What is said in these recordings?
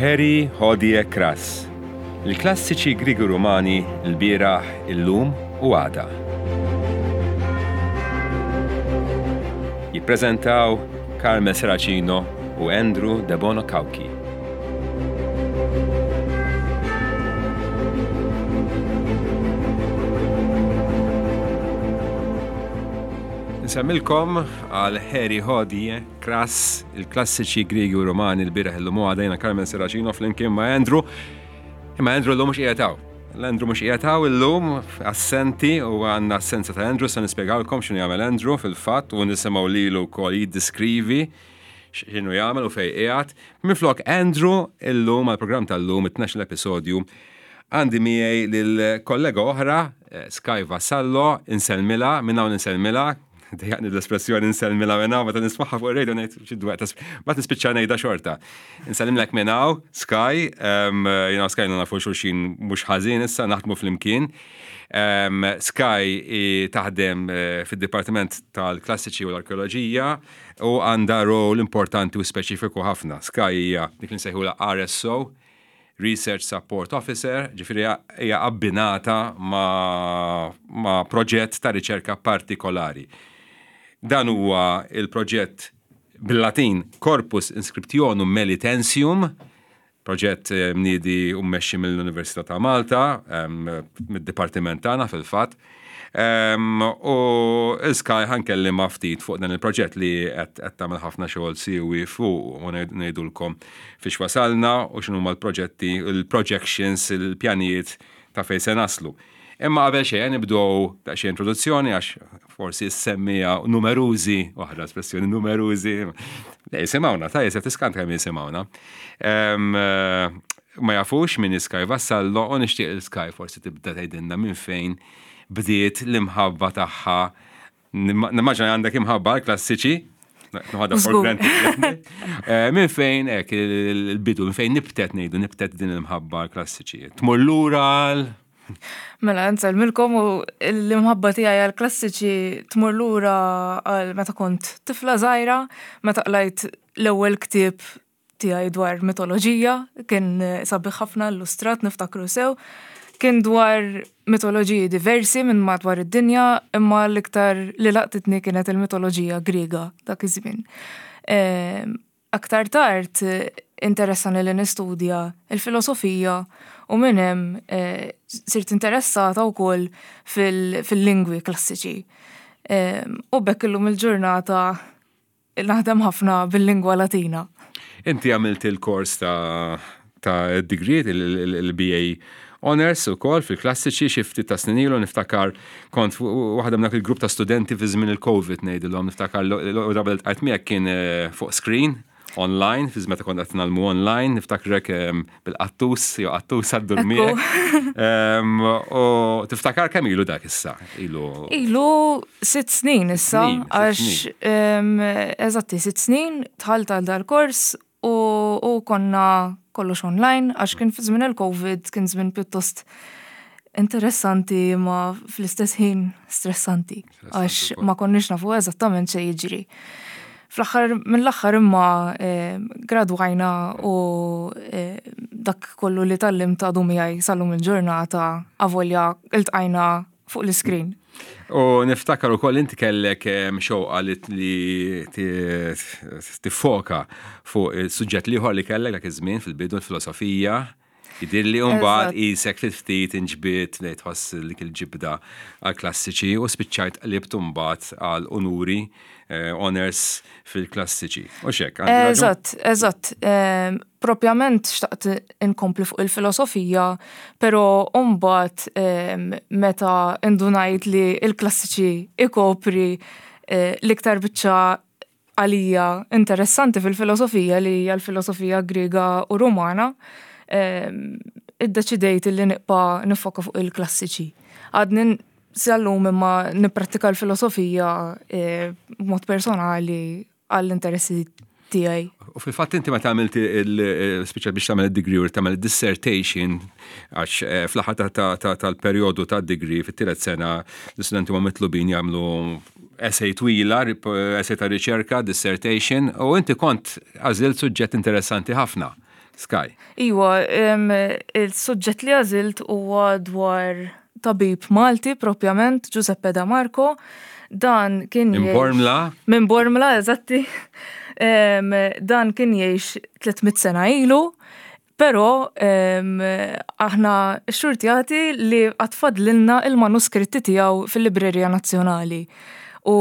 Harry Hodie Crass, Il-klassiċi Griegi u Rumani lbieraħ, illum u għada. Jippreżentaw Carmel Serracino u Andrew Debono Cauchi. Nsemmilkom għal Harry Hodie Crass, il-klassiċi Griegi u Rumani l-bieraħ illum u għada jiena Carmen Serracino flimkien ma' Andrew. Imma Andrew llum mhux qiegħed hawn. L-Andrew mhux qiegħed hawn illum, assenti u għandna assenza ta' Andrew, se nispjegawlkom x'inhu jagħmel Andrew fil-fatt u nisimgħu lilu wkoll jiddiskrivi x'inhu jagħmel u fejn qiegħed. Minflok Andrew illum għall-programm tal-lum it-12 episodju għandi miegħi lil kollega oħra, eh, Sky Vassallo, insellmilha, minn hawn insellmilha, dejjaqni l-espressjoni insellmilha minn hawn, meta nismagħha fuq ir-radio ngħid xi dwaq ma tispiċċa ngħidha xorta. Insellimlek minn hawn, Sky, jiena Sky nafu xulxin mhux ħażin issa naħdmu flimkien. Sky taħdem eh, fid-Dipartiment tal-Klassiċi u l-Arkeoloġija u għandha rol importanti u speċifiku ħafna. Sky hija dik li nsejħulha RSO, Research Support Officer, ġifieri hija abbinata ma', ma proġett ta' riċerka partikolari. Dan huwa il-proġett bil-Latin Corpus Inscriptionum Melitensium, Proġett mniedi u mmexxi mill-Università ta' Malta, mid-dipartiment tagħna fil-fatt. U Sky ħa nkellimha ftit fuq dan il-proġett li qed tagħmel ħafna xogħol siewi fuq u ngħidulkom fiex wasalna u x'inhuma l-proġetti, il-projections, il-pjanijiet ta' fejn se naslu. Imma qabel xejn nibdew daqsxejn introduzzjoni għax forsi s-semmija numerużi, waħda espressjoni numerużi, jisimgħuna, ta' jisef tiskant kemm jisimgħuna. Eh, ma jafux min Sky Vassallo u nixtieq il-Sky forsi tibda tgħidilna minn fejn bdiet l-imħabba tagħha. Nimmaġina għandek imħabba għall-klassiċi, Nħadha for granted. Eh, minn fejn hekk il-bidu, minn fejn nibtet ngħidu nibtet din il-mħabba għall-klassiċi. Tmur lura għal Mela, nsellmilkom u l-imħabba tiegħi għall-klassiċi tmur lura għal meta kont tifla żgħira, meta qlajt l-ewwel ktieb tiegħi dwar mitoloġija, kien sabiħ ħafna illustrat niftakru sew. Kien dwar mitoloġiji diversi minn madwar id-dinja, imma l-iktar li laqtitni kienet il-mitoloġija Griega dak iż-żmien. Ehm, aktar tard interessani li nistudja il-filosofija u minn hemm eh, sirt interessata wkoll fil-lingwi klassiċi. Ehm, u bekk illum il-ġurnata Naħdem ħafna bil-lingwa Latina. Inti għamilt il-kors ta' ta' degree, il-BA Honors u kol fil-klassiċi xi ftit ta' snin ilu niftakar kont waħda minn dak il-grupp ta' studenti fi żmien il-Covid ngħidilhom niftakar l-ewwel darba li miegħek kien eh, fuq screen online, fi meta kont qed nagħmlu online, niftakrek ehm, bil-qattus, jew qattus għaddur miegħek. Ehm, u tiftakar kemm ilu dak issa? Ilu. Ilu sitt snin issa, għax ehm, eżatti sitt snin dħalt għal dal-kors u konna kollox online għax kien fi żmien il-Covid kien żmien pjuttost interessanti ma fl-istess ħin stressanti għax ma konniex nafu eżattament x'se jiġri. Fl-aħħar mill-aħħar imma eh, gradwajna u eh, dak kollu li tgħallimt għadu miegħi sal-lum il-ġurnata avolja iltqajna fuq l-iskrin. U niftakar ukoll inti kellek eh, xewqa li tiffoka fuq il-suġġett l-ieħor li kellek dak iż-żmien fil-bidu l-filosofija. Jidhirli u mbagħad qisek ftit ftit inġbidt li tħoss dik il-ġibda għall-klassiċi u spiċċajt qlibt mbagħad għal unuri eh, honors fil-klassiċi. U xek, Eżatt, eżatt. Ehm, propjament xtaqt inkompli fuq il-filosofija, però mbagħad ehm, meta indunajt li il-klassiċi ikopri eh, l-iktar biċċa għalija interessanti fil-filosofija li hija l-filosofija Griega u Rumana, ehm, iddeċidejt li nibqa' nifoka fuq il-klassiċi. Għadni sal-lum imma nipprattika l-filosofija eh, b'mod personali għall-interessi tiegħi. U fil-fatt inti meta għamilt il-spiċċa biex tagħmel id-degree u tagħmel dissertation għax eh, fl-aħħar tal-perjodu tad-degree fit-tielet sena l-istudenti huma mitlubin jagħmlu essay twila, essay ta' riċerka, dissertation, u inti kont għażilt suġġett interessanti ħafna. Sky. Iwa, il-suġġett li għażilt huwa dwar tabib Malti propjament, Giuseppe Da Marco. Dan kien Minn Bormla? Minn Bormla, eżatti. Dan kien jgħix 300 sena ilu, però aħna xxurtjati li għad fadlilna il-manuskritti tiegħu fil-Librerija Nazzjonali. U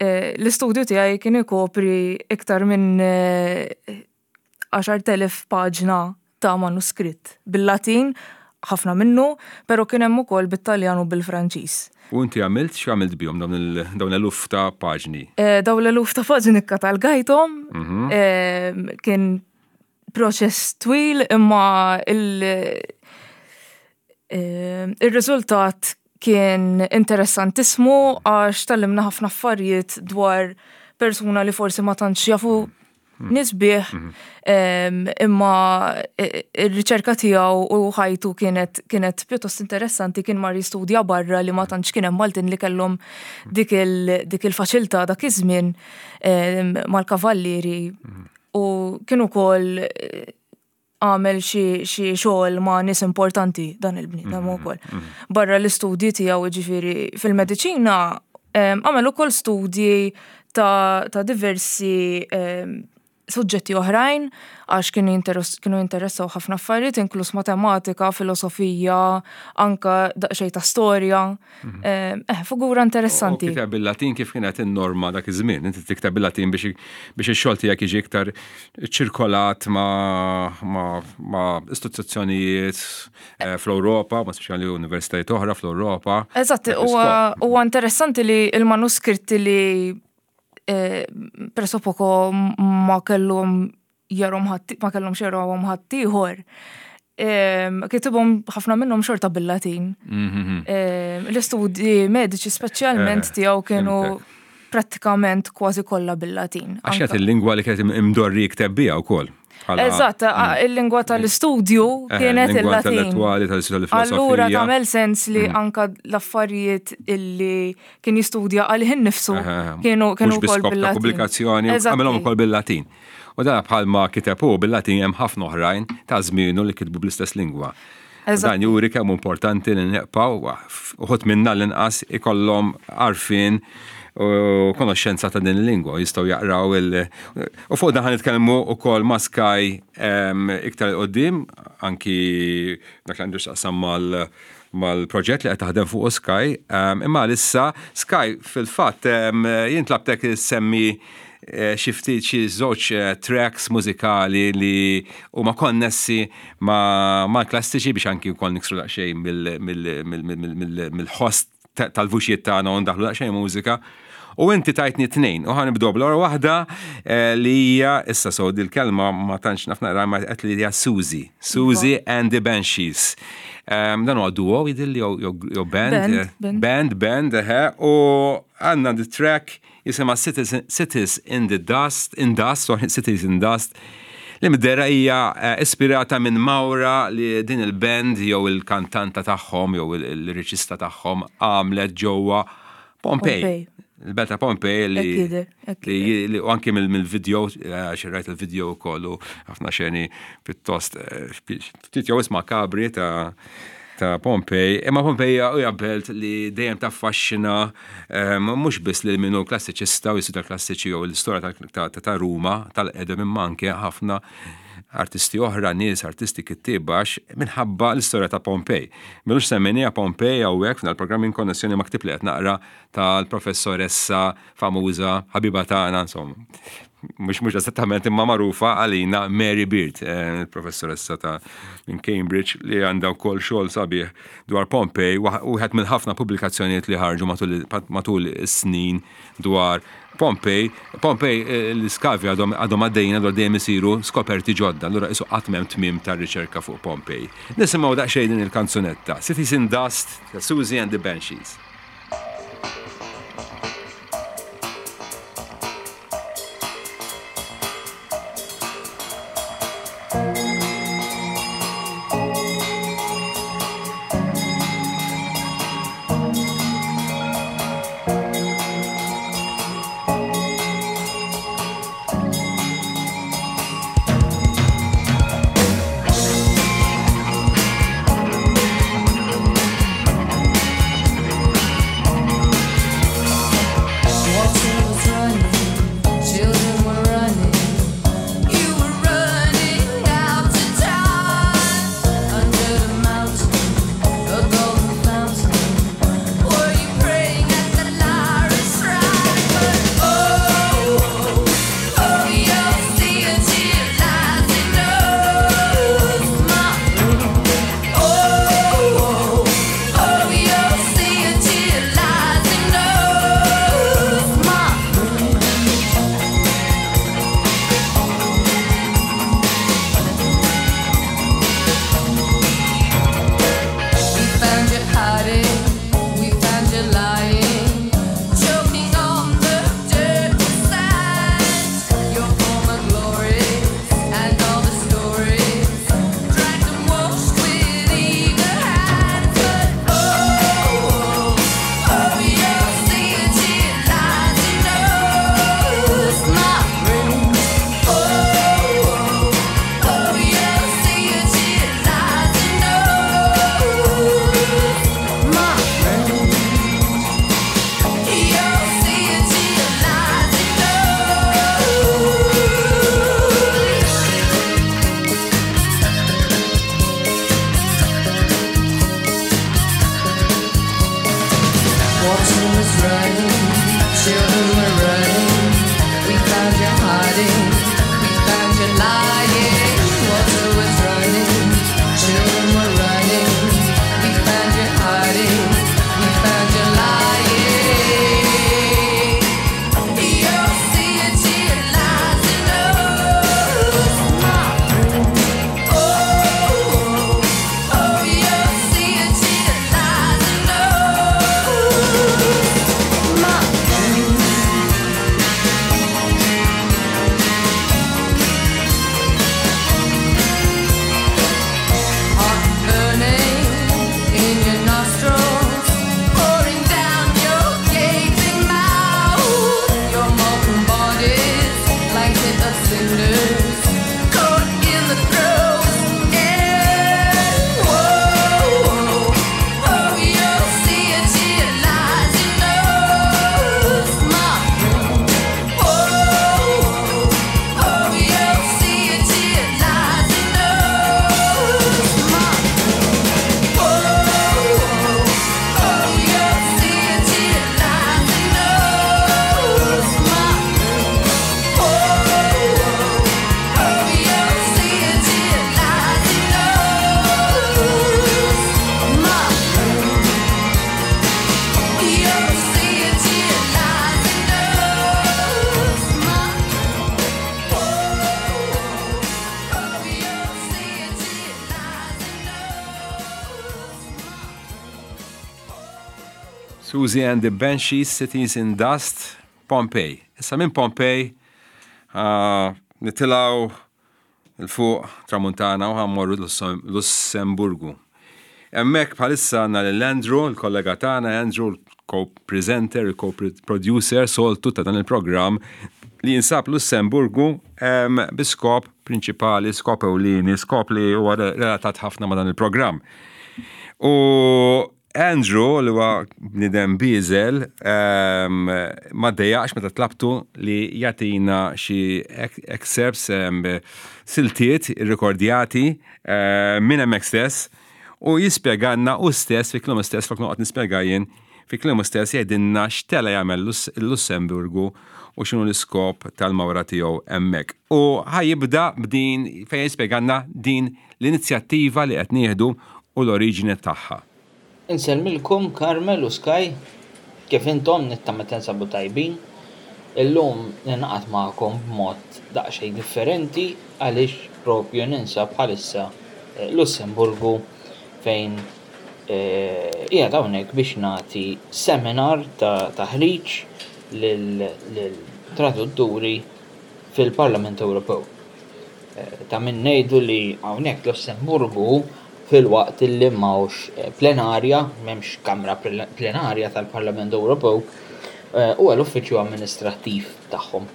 eh, l-istudju tiegħi kien ikopri iktar minn 10,000 eh, paġna ta' manuskritt bil-Latin, ħafna minnu, pero kien hemm ukoll bit-Taljan u bil-Franċiż. U inti għamilt x'għamilt bihom dawn l-eluf ta' paġni? Eh, dawn l-eluf ta' paġni kkatalgajthom, mhm. kien proċess twil imma il- eh, il-riżultat kien interessantissimu għax tallimna ħafna affarijiet dwar persuna li forsi ma tantx jafu hmm. nisbieħ hmm. imma eh, ir-riċerka tiegħu u ħajtu kienet kienet pjuttost interessanti kien mar jistudja barra li ma tantx kien hemm Maltin li kellhom dik il-faċilità dak iż-żmien mal-kavallieri hmm. U kien ukoll eh, għamel xi xogħol ma' nies importanti dan il-bniedem mhm, ukoll. Mhm. Barra l-istudji tiegħu ġifieri fil-mediċina għamel ukoll studji ta', ta diversi suġġetti oħrajn għax kienu jinteressaw ħafna affarijiet inkluż matematika, filosofija, anka daqsxejn ta' storja. Mhm. Eh, figura interessanti. Kiteb bil-Latin kif kienet in-norma dak iż-żmien, inti tikteb bil-Latin biex biex ix-xogħol tiegħek jiġi iktar ċirkolat ma' istituzzjonijiet eh, fl-Ewropa, ma speċjali universitajiet oħra fl-Ewropa. Eżatt, huwa interessanti li il-manuskritti li eh, presso poco ma kellhom jarhom ħadd ma kellhomx jarawhom ħaddieħor. Kitibhom ħafna minnhom xorta bil-Latin. Mhm. L-istudji mediċi speċjalment eh, tiegħu kienu prattikament kważi kollha bil-Latin. Għax kienet il-lingwa li kienet imdorri jikteb biha wkoll. Eżatt, mm. il-lingwa tal-istudju eh, kienet il-Latin. Intellettuali tal-istudju Allura tagħmel sens li mm. anka l-affarijiet illi kien jistudja għalih innifsu kienu kienu wkoll bil-Latin. Pubblikazzjoni għamilhom ukoll bil-Latin. U dan bħalma kiteb hu bil-Latin hemm ħafna oħrajn ta' żmienu li kitbu bl-istess lingwa. Dan juri kemm importanti li neqpaw uħud minna l-inqas ikollhom għarfien u konoxxenza ta' din il-lingwa jistgħu jaqraw il- U fuq dan ħa nitkellmu wkoll ma' Sky iktar 'il quddiem anki dak li għandu x'taqsam mal mal-proġett li qed taħdem fuqu Sky. Imma għalissa Sky fil-fatt jien tlabtek semmi eh, xi ftit xi żewġ eh, tracks mużikali li huma konnessi mal-klassiċi biex anki wkoll niksru daqsxejn mill-ħoss tal-vuċijiet tagħna u ndaħlu daqsxejn mużika. U inti tajtni tnejn, u ħanibdew bl-ewwel waħda eh, li hija issa so dil-kelma ma tantx naf naqra ma qed li hija Suzy. Suzy iva. and the Banshees. Ehm, dan huwa duo jidilli jew band, eh, band, band, eħe, u għandna the track jisimha Cities in the Dust, in Dust, sorry, Cities in Dust, li mid-dehra hija eh, ispirata minn mawra li din il-band jew il-kantanta tagħhom jew il-riċista tagħhom għamlet ġewwa Pompej. Il-belt ta' Pompej li li u anki mill-video, eh, xi rajt il-video wkoll u ħafna xeni pjuttost eh, ftit jew isma' kabri ta' ta' Pompej, imma Pompej hija belt li dejjem taffaxxina ehm, mhux biss lil min hu klassiċista u jistudja klassiċi jew l-istorja ta' Ruma tal-qedem imma anke ħafna artisti oħra, nies, artisti kittieba għax minħabba l-istorja ta' Pompej. M'ilux semmejniha Pompej hawnhekk f'dan il-programm in konnessjoni ma' ktieb li qed naqra tal-professoressa famuża ħabiba tagħna insomma. Mhux mhux eżattament imma magħrufa għalina Mary Beard, eh, il-professoressa ta' minn Cambridge li għandha wkoll xogħol sabiħ dwar Pompej, wieħed mill-ħafna pubblikazzjonijiet li ħarġu matul is-snin dwar Pompej. Pompej eh, l-iskavi għadhom għadhom għaddejjin għadhom dejjem isiru skoperti ġodda, allura isu qatt m'hemm tmiem tar-riċerka fuq Pompej. Nisimgħu daqsxejn din il-kanzunetta, Cities in Dust ta' Susie and the Banshees. hiding. We found you lying. Water was running, children were running. We found you hiding. We found you lying. You'll see it, she lies and knows. My friend. Oh, oh, you'll see it, she lies and knows. My friend. Hot burning in your nostrils, pouring down your gaping mouth. Your molten body's blanket of cinders, caught in the throes. And whoa, oh, you'll see it, she lies and knows, my friend. Oh, oh, you'll see it, she lies and knows, my friend. Oh, oh, you'll see it, she lies and knows, my friend. Oh, oh, you'll see it, she lies and knows, my friend. You'll see it, she lies and knows, my friend. Oh, oh, you'll see it, she lies and knows, my Siouxsie and the Banshees, Cities in Dust, Pompeii. Issa minn Pompeii nitilgħu 'l fuq tramuntana u ħa mmorru Lussemburgu. Hemmhekk bħalissa għandna lil Andrew, il-kollega tagħna, Andrew l-co-presenter, il-co-producer soltu ta' dan il-programm li jinsab Lussemburgu bi skop prinċipali, skop ewlieni, skop li huwa relatat ħafna ma' dan il-programm. U Andrew li huwa bniedem bieżel ma ddejjaqx meta tlabtu li jagħtina xi excerpts siltiet irrikordjati minn hemmhekk stess u jispjegalna hu stess fi kliemu stess flok noqgħod nispjega jien fi kliemu stess jgħidilna x'tela' jagħmel il-Lussemburgu u x'inhu l-iskop tal-mawra tiegħu hemmhekk. U ħa jibda b'din fejn jispjegalna din l-inizjattiva li qed nieħdu u l-oriġini tagħha. Insellmilkom Carmel u Sky, kif intom nittama tinsabu tajbin. Illum ninaqat magħkom b'mod daqsxejn differenti għaliex propju ninsab bħalissa Lussemburgu fejn qiegħed hawnhekk biex nagħti seminar ta' taħriġ lil tradutturi fil-Parlament Ewropew. Ta' min ngħidu li hawnhekk Lussemburgu filwaqt li m'hawnx plenarja, m'hemmx kamra plenarja tal-Parlament Ewropew, huwa l-uffiċċju amministrattiv tagħhom.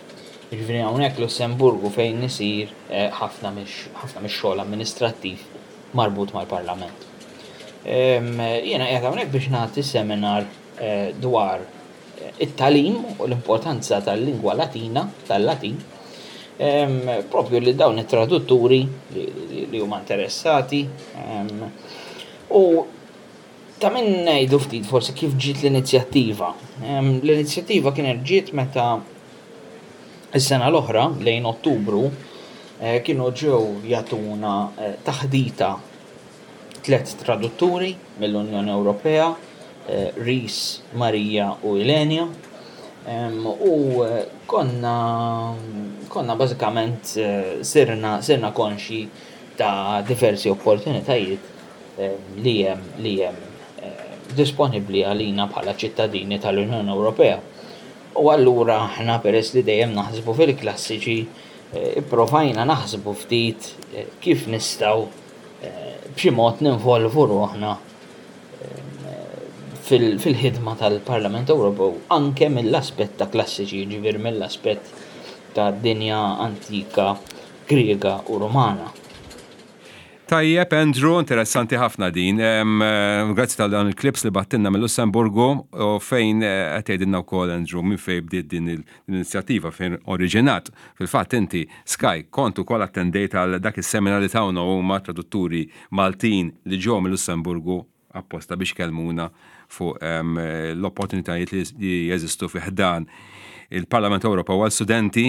Jiġifieri hawnhekk Lussemburgu fejn isir ħafna mix-xogħol amministrattiv marbut mal-Parlament. Jiena qiegħed hawnhekk biex nagħti seminar dwar it-tagħlim u l-importanza tal-lingwa Latina, tal-Latin, propju li dawn it-tradutturi li huma interessati. U ta' min ngħidu ftit forsi kif ġiet l-inizjattiva. L-inizjattiva kienet ġiet meta is-sena l-oħra lejn Ottubru kienu ġew jagħtuna taħdita tliet tradutturi mill-Unjoni Ewropea, Rhys, Marija u Ilenia. U konna konna bażikament sirna sirna konxji ta' diversi opportunitajiet li hemm li hemm disponibbli għalina bħala ċittadini tal-Unjoni Ewropea. U allura aħna peress li dejjem naħsbu fil-klassiċi, ipprovajna naħsbu ftit kif nistgħu b'xi mod ninvolvu ruħna fil-ħidma tal-Parlament Ewropew anke mill-aspett ta' klassiċi, jiġifieri mill-aspett ta' dinja antika Griega u Rumana. Tajjeb, Andrew, interessanti ħafna din. Grazzi tal dan il-clips li bgħattilna mill-Lussemburgu u fejn qed tgħidilna wkoll Andrew minn fejn bdiet din l-inizjattiva fejn oriġinat. Fil-fatt inti, Sky, kont ukoll attendejt għal dak is-seminar li tawna huma tradutturi Maltin li ġew mill-Lussemburgu apposta biex kellmuna fuq l-opportunitajiet li jeżistu fi ħdan il-Parlament Ewropew għal studenti.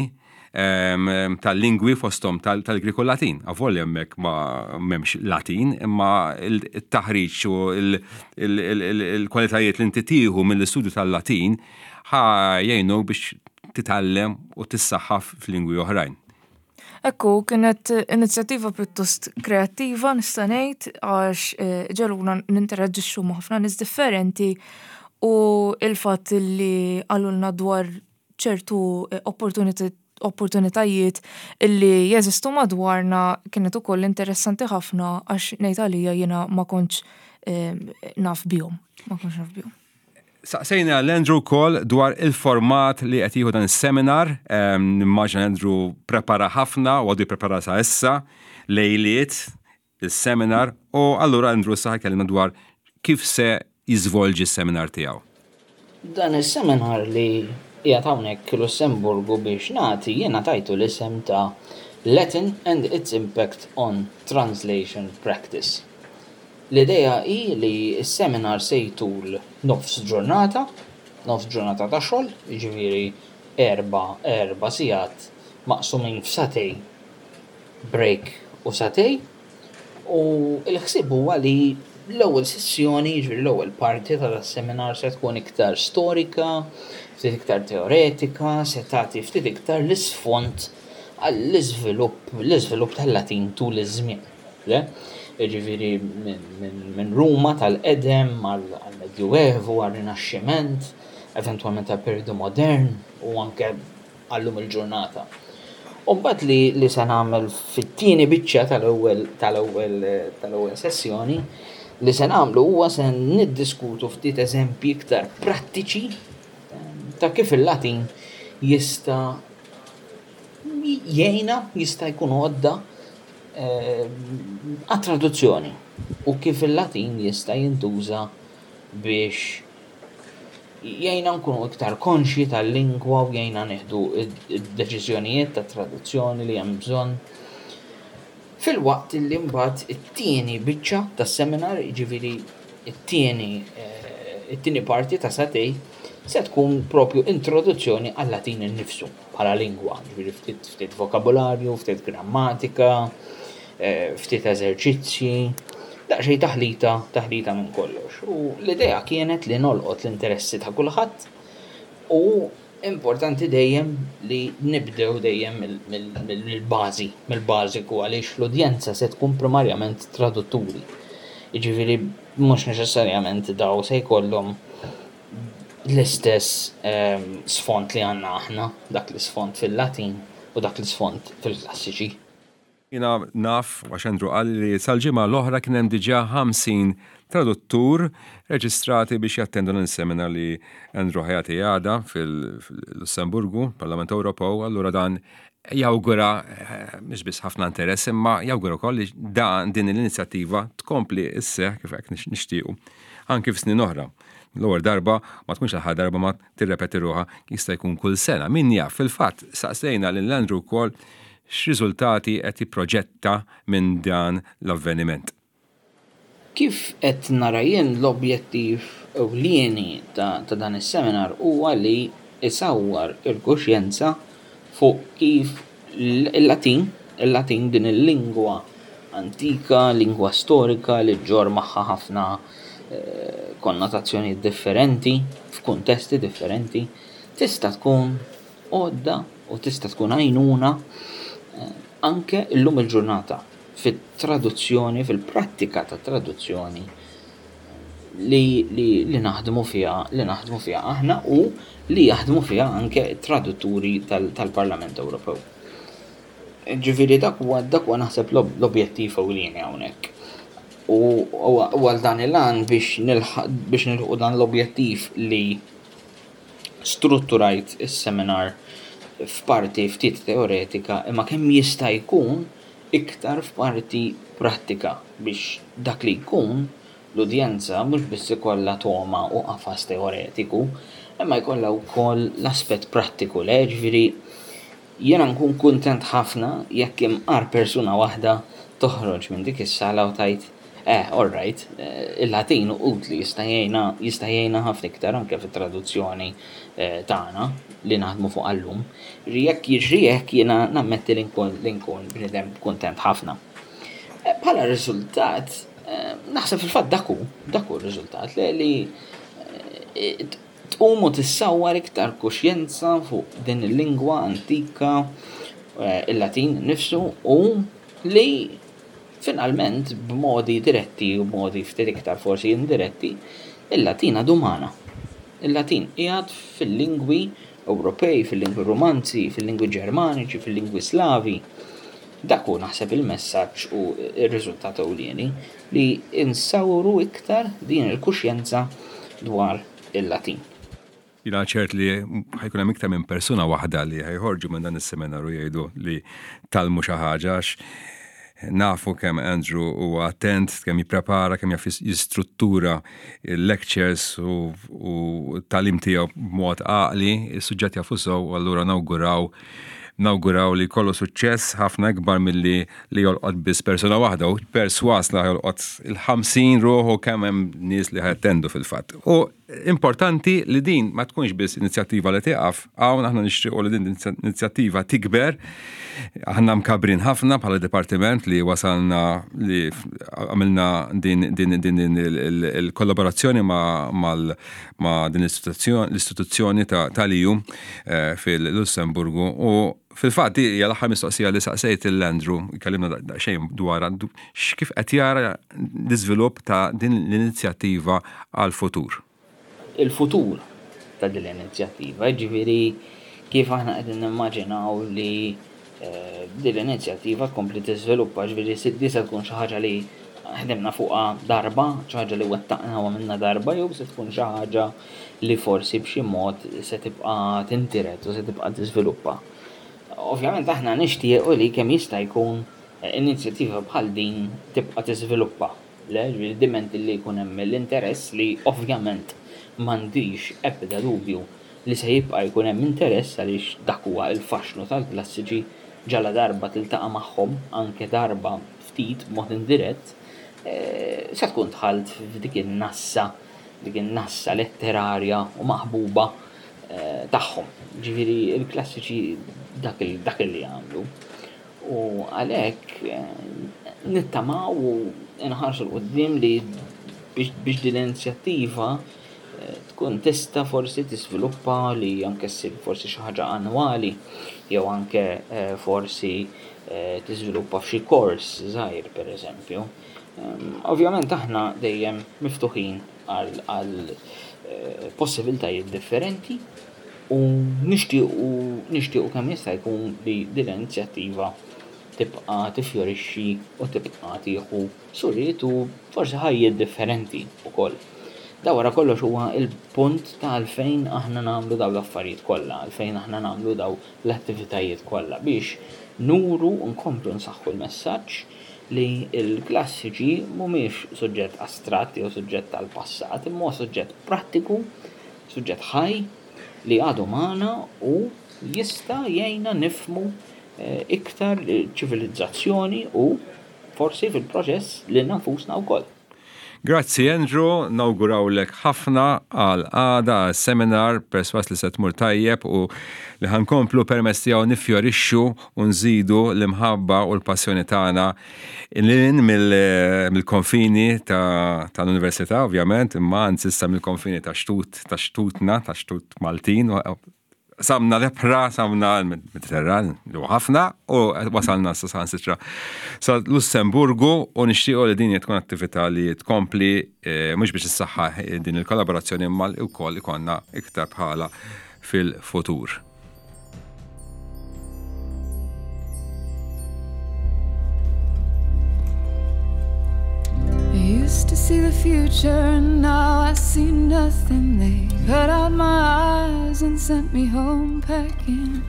tal-lingwi fosthom tal-Grieg u Latin. Avolja hemmhekk ma m'hemmx Latin, imma il-taħriġ u il-kwalitajiet li inti tieħu mill-istudju tal-Latin ħa jgħinu biex titgħallem u tissaħħaf f'lingwi oħrajn. Ekku, kienet inizjattiva pjuttost kreattiva nista' ngħid għax ġegħluna ninteraġixxu ma' ħafna nies differenti u il-fatt li qalulna dwar ċertu opportunitajiet illi jeżistu madwarna kienet ukoll interessanti ħafna għax ngħid għalija jiena ma kontx naf bihom, ma kontx naf bihom. Saqsejna l-Andrew wkoll dwar il-format li qed jieħu dan is-seminar. Nimmaġina Andrew prepara ħafna u għadu jipprepara sa issa lejliet is-seminar u allura Andrew issa ħajkellimna dwar kif se jiżvolġi s-seminar tiegħu. Dan is-seminar li qiegħed hawnhekk Lussemburgu biex nagħti jiena tajtu l-isem ta' Latin and its Impact on Translation Practice. L-idea hi li s-seminar se jtul nofs ġurnata, nofs ġurnata ta' xogħol, jiġifieri erba' sigħat maqsumin f'sagħtej break u sagħtej, u l-ħsieb huwa li l-ewwel sessjoni, jiġifieri l-ewwel parti ta' das-seminar se tkun iktar storika, ftit iktar teoretika, se tagħti ftit iktar l-isfond għall-iżvilupp l-iżvilupp tal-Latin tul iż-żmien. Le? Jiġifieri minn Ruma tal-qedem għall-Medjuevu, għar-Rinaxximent, eventwalment għall-perjodu modern u anke għal-lum il-ġurnata. U mbagħad li, li se nagħmel fit-tieni biċċa tal-ewwel tal-ewwel tal-ewwel sessjoni li se nagħmlu huwa se niddiskutu ftit eżempji iktar prattiċi ta' kif il-Latin jista' jgħinna, jista' jkun għodda eh, għat-traduzzjoni u kif il-Latin jista' jintuża biex jgħinna nkunu iktar konxji tal-lingwa u jgħinna nieħdu d-deċiżjonijiet ta' traduzzjoni li hemm bżonn. Filwaqt li mbagħad it-tieni biċċa tas-seminar, jiġifieri it-tieni eh, it-tieni parti ta' sagħtejn se tkun propju introduzzjoni għal-Latin innifsu bħala lingwa, jiġifieri ftit ftit vokabularju, ftit grammatika, eh, ftit eżerċizzji, daqsxejn taħlita, taħlita minn kollox. U l-idea kienet li nolqot l-interessi ta' kulħadd u importanti dejjem li nibdew dejjem mill-bażi, mill-bażiku għaliex l-udjenza se tkun primarjament tradutturi. Jiġifieri mhux neċessarjament daw se jkollhom l-istess ehm, sfond li għandna aħna, dak l-isfond fil-Latin u dak l-isfond fil-klassiċi. Jiena naf, għax Andrew qalli li sal-ġimgħa l-oħra kien hemm diġà 50 traduttur reġistrati biex jattendu dan is-seminar li Andrew ħa jagħti għada fil-Lussemburgu, Parlament Ewropew, allura dan jawgura mhux biss ħafna interess imma jawgura wkoll li dan din l-inizjattiva tkompli sseħħ kif hekk nixtiequ anki f'snin oħra. L-ewwel darba ma tkunx l-aħħar darba ma tirrepeti ruħha jista' jkun kull sena. Min jaf, fil-fatt saqsejna lil Andrew wkoll x'riżultati qed jipproġetta minn dan l-avveniment. Kif qed nara jien l-objettiv ewlieni ta' dan is-seminar huwa li jsawwar il-kuxjenza fuq kif il-Latin, il-Latin din il-lingwa antika, lingwa storika li ġġorr magħha ħafna konnotazzjonijiet differenti, f'kuntesti differenti, tista' tkun għodda u tista' tkun għajnuna anke llum il-ġurnata fit-traduzzjoni, fil-prattika tat-traduzzjoni li, li, li naħdmu fiha li naħdmu fiha aħna u li jaħdmu fiha anke t-tradutturi tal-Parlament Ewropew. Ġifieri dak huwa dak huwa naħseb l-objettiv ewlieni hawnhekk. U għal dan il-għan biex biex nilħqu dan l-objettiv li strutturajt is-seminar f'parti ftit teoretika imma kemm jista' jkun iktar f'parti prattika biex dak li jkun l-udjenza mhux biss ikollha togħma u qafas teoretiku imma jkollha wkoll l-aspett prattiku le jiġifieri jiena nkun kuntent ħafna jekk imqar persuna waħda toħroġ minn dik is-sala u tgħid. Eh, all right, il-Latin utli jista' jgħinna jista' jgħinna ħafna iktar anke fit-traduzzjoni tagħna li naħdmu fuqha llum. Jekk jiġri hekk jiena nammetti li nkun li nkun bniedem kuntent ħafna. Bħala riżultat, naħseb fil-fatt dak hu, dak hu r-riżultat li tqum u tissawwar iktar kuxjenza fuq din il-lingwa antika, il-Latin innifsu u li finalment b'modi diretti u b'modi ftit iktar forsi indiretti, il-Latin għadu magħna. Il-Latin qiegħed fil-lingwi Ewropej, fil-lingwi Rumanzi, fil-lingwi Ġermaniċi, fil-lingwi Slavi. Dak hu naħseb il-messaġġ u r-riżultat ewlieni li nsawru iktar din il-kuxjenza dwar il-Latin. Jiena ċert li ħa jkun hemm iktar minn persuna waħda li ħa joħorġu minn dan is-seminar u jgħidu li tgħallmu xi ħaġa għax nafu kemm Andrew huwa attent, kemm jipprepara, kemm jaf jistruttura il-lectures u t-tagħlim tiegħu b'mod għaqli, is-suġġett jafu sew u allura nawguraw nawguraw li jkollu suċċess ħafna ikbar milli li jolqot biss persuna waħda u perswas li jolqot il-50 ruħ u kemm hemm nies li ħa jattendu fil-fatt. U importanti li din ma tkunx biss inizjattiva li tieqaf, hawn aħna nixtiequ li din inizjattiva tikber. Aħna mkabrin ħafna bħala dipartiment li wasalna li għamilna din din din il-kollaborazzjoni ma' ma' din l-istituzzjoni tal-EU fil-Lussemburgu u fil-fatt hija l-aħħar mistoqsija li saqsejt lil Andrew, kellimna daqsxejn dwarha, kif qed jara l-iżvilupp ta' din l-inizjattiva għall-futur. Il-futur ta' din l-inizjattiva, jiġifieri kif aħna qegħdin nimmaġinaw li din l-inizjattiva tkompli tiżviluppa, ġifieri di se tkun xi ħaġa li ħdimna fuqha darba, xi ħaġa li wettaqna u għamilna darba, jew se tkun xi ħaġa li forsi b'xi mod se tibqa' tintiret u se tibqa' tiżviluppa. Ovvjament aħna nixtiequ li kemm jista' jkun inizjattiva bħal din tibqa' tiżviluppa. Le, ġifieri diment li jkun hemm l-interess li ovvjament m'għandix ebda dubju li se jibqa' jkun hemm interess għaliex dak huwa l-faxxnu tal-klassiċi ġaladarba tiltaqa' magħhom anke darba ftit b'mod indirett se tkun dħalt f'dik in-nassa dik in-nassa letterarja u maħbuba tagħhom. Ġifieri l-klassiċi dak dak li jagħmlu. U għalhekk nittamaw u nħarsu 'l quddiem li biex din l-inizjattiva tkun tista' forsi tiżviluppa li anke ssir forsi xi ħaġa annwali jew anke forsi tiżviluppa f'xi kors żgħir pereżempju. Ovvjament aħna dejjem miftuħin għal possibiltajiet differenti u nixtiequ nixtiequ kemm jista' jkun li din l-inizjattiva tibqa' tifjorixxi u tibqa' tieħu suriet u forsi ħajjiet differenti wkoll. Da wara kollox huwa l-punt ta' għalfejn aħna nagħmlu dawn l-affarijiet kollha, għalfejn aħna nagħmlu dawn l-attivitajiet kollha biex nuru u nkomplu nsaħħu l-messaġġ li l-klassiċi mhumiex suġġett astratt jew suġġett tal-passat, imma huwa suġġett prattiku, suġġett ħaj li għadu magħna u jista' jgħinna nifhmu iktar ċivilizzazzjoni u forsi fil-proċess lilna nfusna wkoll. Grazzi Andrew, nawgurawlek ħafna għal għada għas-seminar, persważ li se tmur tajjeb u li ħa nkomplu permezz tiegħu niffjorixxu u nżidu l-imħabba u l-passjoni tagħna lil hinn mill-konfini tal-Università ovvjament, imma anzi issa mill-konfini ta' xtut ta' xtutna, ta' xtut Maltin, Samna l-ebħra, samna l-Mediterran, li huwa ħafna, u wasalna sa saħansitra sa Lussemburgu u nixtiequ li din tkun attività li tkompli eh, mhux biex issaħħaħ din il-kollaborazzjoni imma wkoll ikollna iktar bħala fil-futur. Used to see the future and now I see nothing. They cut out my eyes and sent me home packing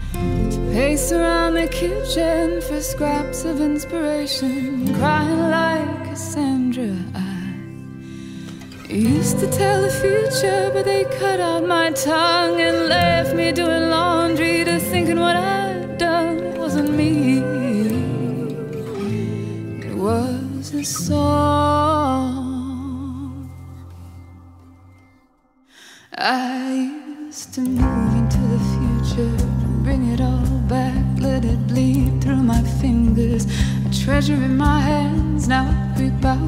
to pace around the kitchen for scraps of inspiration, crying like Cassandra. I used to tell the future, but they cut out my tongue and left me doing laundry to thinking what I'd done wasn't me. It was a song. fingers, a treasure in my hands. Now I creep out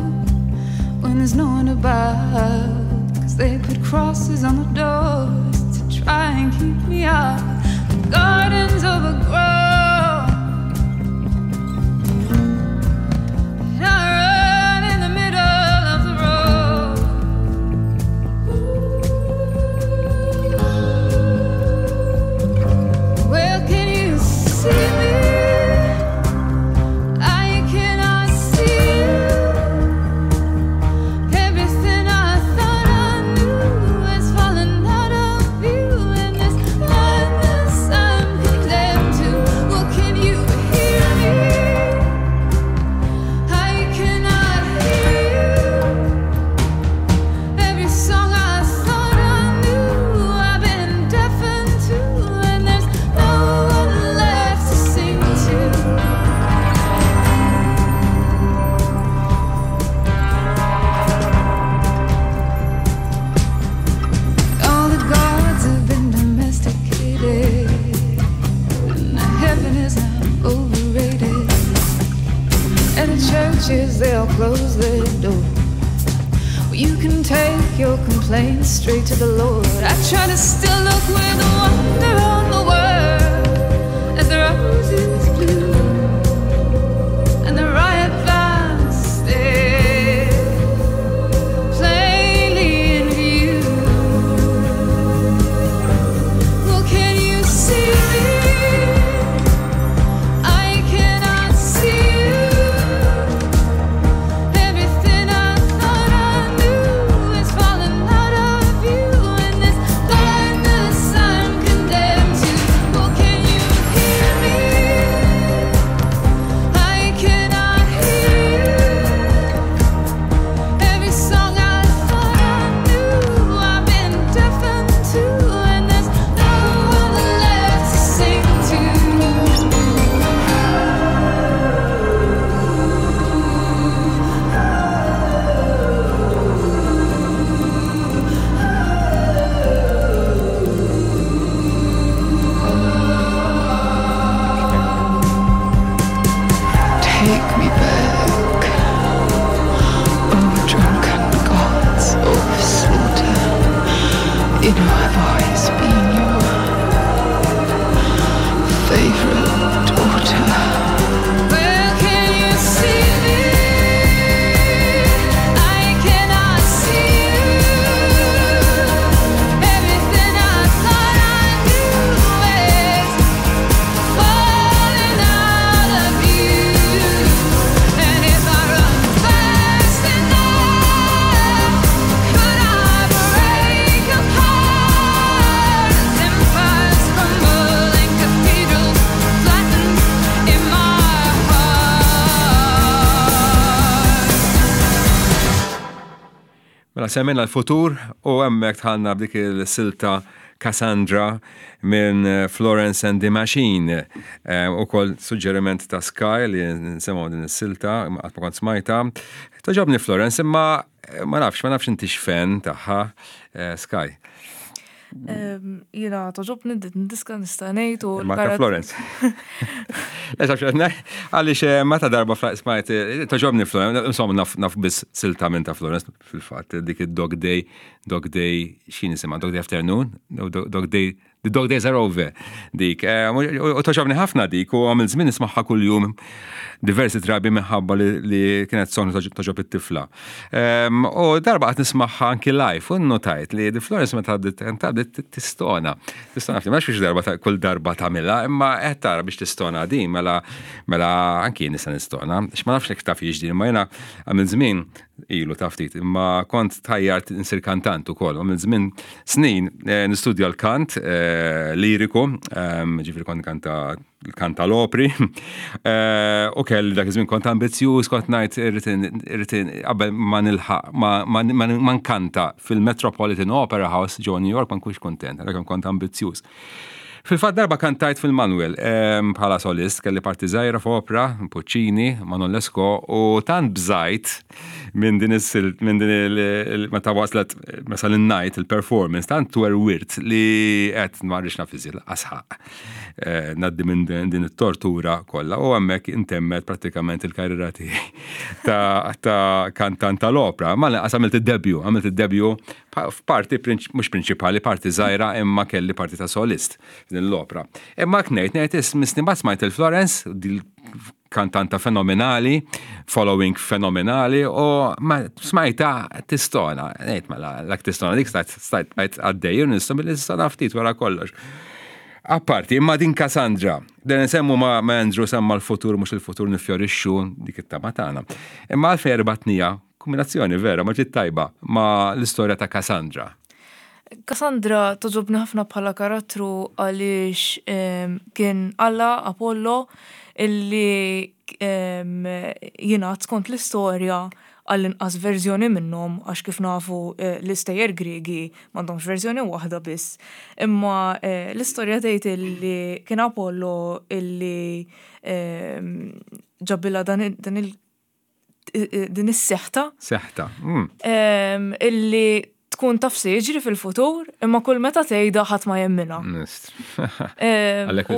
when there's no one about. Cause they put crosses on the doors to try and keep me out. The garden's overgrown. And I run in the middle of the road. Well, can you see me? I cannot see you. Everything I thought I knew is falling out of view in this blindness I'm condemned to. Well, can you hear me? I cannot hear you. Every song I thought I knew, I've been deafened to, and there's no one left to sing to. All the gods have been domesticated, and heaven is now overrated. And the churches, they'll close their doors. Well, you can take your complaints straight to the Lord. I try to still look with wonder on the world as the roses blue and the riot vines stare plainly in view. Well, can you see me? I cannot see you. Everything I thought I knew is falling out of view in this blindness I'm condemned to. Well, can you hear me? I cannot hear you. Every song I thought I knew, I've been deafened to, and there's no one left to sing to. Take me back, oh drunken gods of slaughter. You know I've always been your favorite daughter. Well, can you see me? I cannot see you. Everything I thought I knew is falling out of view. And if I run fast enough, could I break apart as empires crumble and cathedrals flatten in my heart? Mela semmejna l-futur u hemmhekk dħalna b'dik il-silta Cassandra minn Florence and the Machine. Ukoll suġġeriment ta' Sky li nsemgħu din is-silta, qatt ma kont smajta. Togħġobni Florence, imma ma nafx, ma nafx inti x'fan tagħha, Sky. Jiena togħġobni din diska nista' ngħid u Ma ta' Florence. Le, taf x'qed ngħid? Għaliex meta darba smajt, togħġobni Florence, insomma naf biss silta minn ta' Florence fil-fatt, dik id-Dog Day, Dog Day, x'in isimha, Dog Day Afternoon, no, Dog Day, The Dog Days Are Over, dik. U togħġobni ħafna dik, u għamil żmien nismagħha kuljum diversi drabi minħabba li kienet song togħġob it-tifla. U darba qatt nismagħha anki live, u notajt li di Florence meta bdiet tistona. Tistona ftit, ma nafx darba kull darba tagħmilha, imma qed tara biex tistona din, mela anki jien nista' nistona. X ma nafx jekk taf din, imma jiena għamil żmien ilu ta' ftit, imma kont tajjart insir kantant ukoll. Għamil żmien snin nistudja l-kant liriku, ġifieri kont kanta kanta l-opri, u kelli dak iż-żmien kont ambizzjuż, kont ngħid irrid qabel ma nilħaq ma nkanta fil-Metropolitan Opera House ġo New York ma nkunx kuntent, għalhekk kont ambizzjuż. Fil-fatt darba kantajt fil-Manuel bħala solist, kelli parti żgħira f'opra, Puccini, Manon Lescaut, u tant bżajt minn din is-silt, minn din il meta waslet meta l-night il-performance, tant twerwirt li qed ma rridx naf iżjed lanqas ħaqq ngħaddi minn din it-tortura kollha u hemmhekk intemmet prattikament il-karriera tiegħi ta' kantant tal-opra. Ma lanqas għamilt id-debut, għamilt id-debut f'parti mhux prinċipali, parti żgħira imma kelli parti ta' solist f'din l-opra. Imma hekk ngħid, ngħid misni mbagħad smajt il-Florence, kantanta fenomenali, following fenomenali u ma smajta tistona, ngħid mela l tistona dik stajt stajt bajt għaddej u nistom billi tistona ftit wara kollox. Apparti, imma din Cassandra, dan nsemmu ma' Andrew semma l-futur mhux il-futur nifjorixxu dik it-tama tagħna. Imma għalfejn rbatnija Kombinazzjoni vera ma ġiet tajba ma' l-istorja ta' Cassandra. Cassandra togħġobni ħafna bħala karattru għaliex kien alla Apollo illi jingħad skont l-istorja għall-inqas verżjoni minnhom għax kif nafu l-istejjer Griegi m'għandhomx verżjoni waħda biss. Imma l-istorja tgħid illi kien Apollo illi ġabilha dan il din is-seħta. Seħta. Illi tkun taf se jiġri fil-futur, imma kull meta tgħidha ħadd ma jemminha. Għalhekk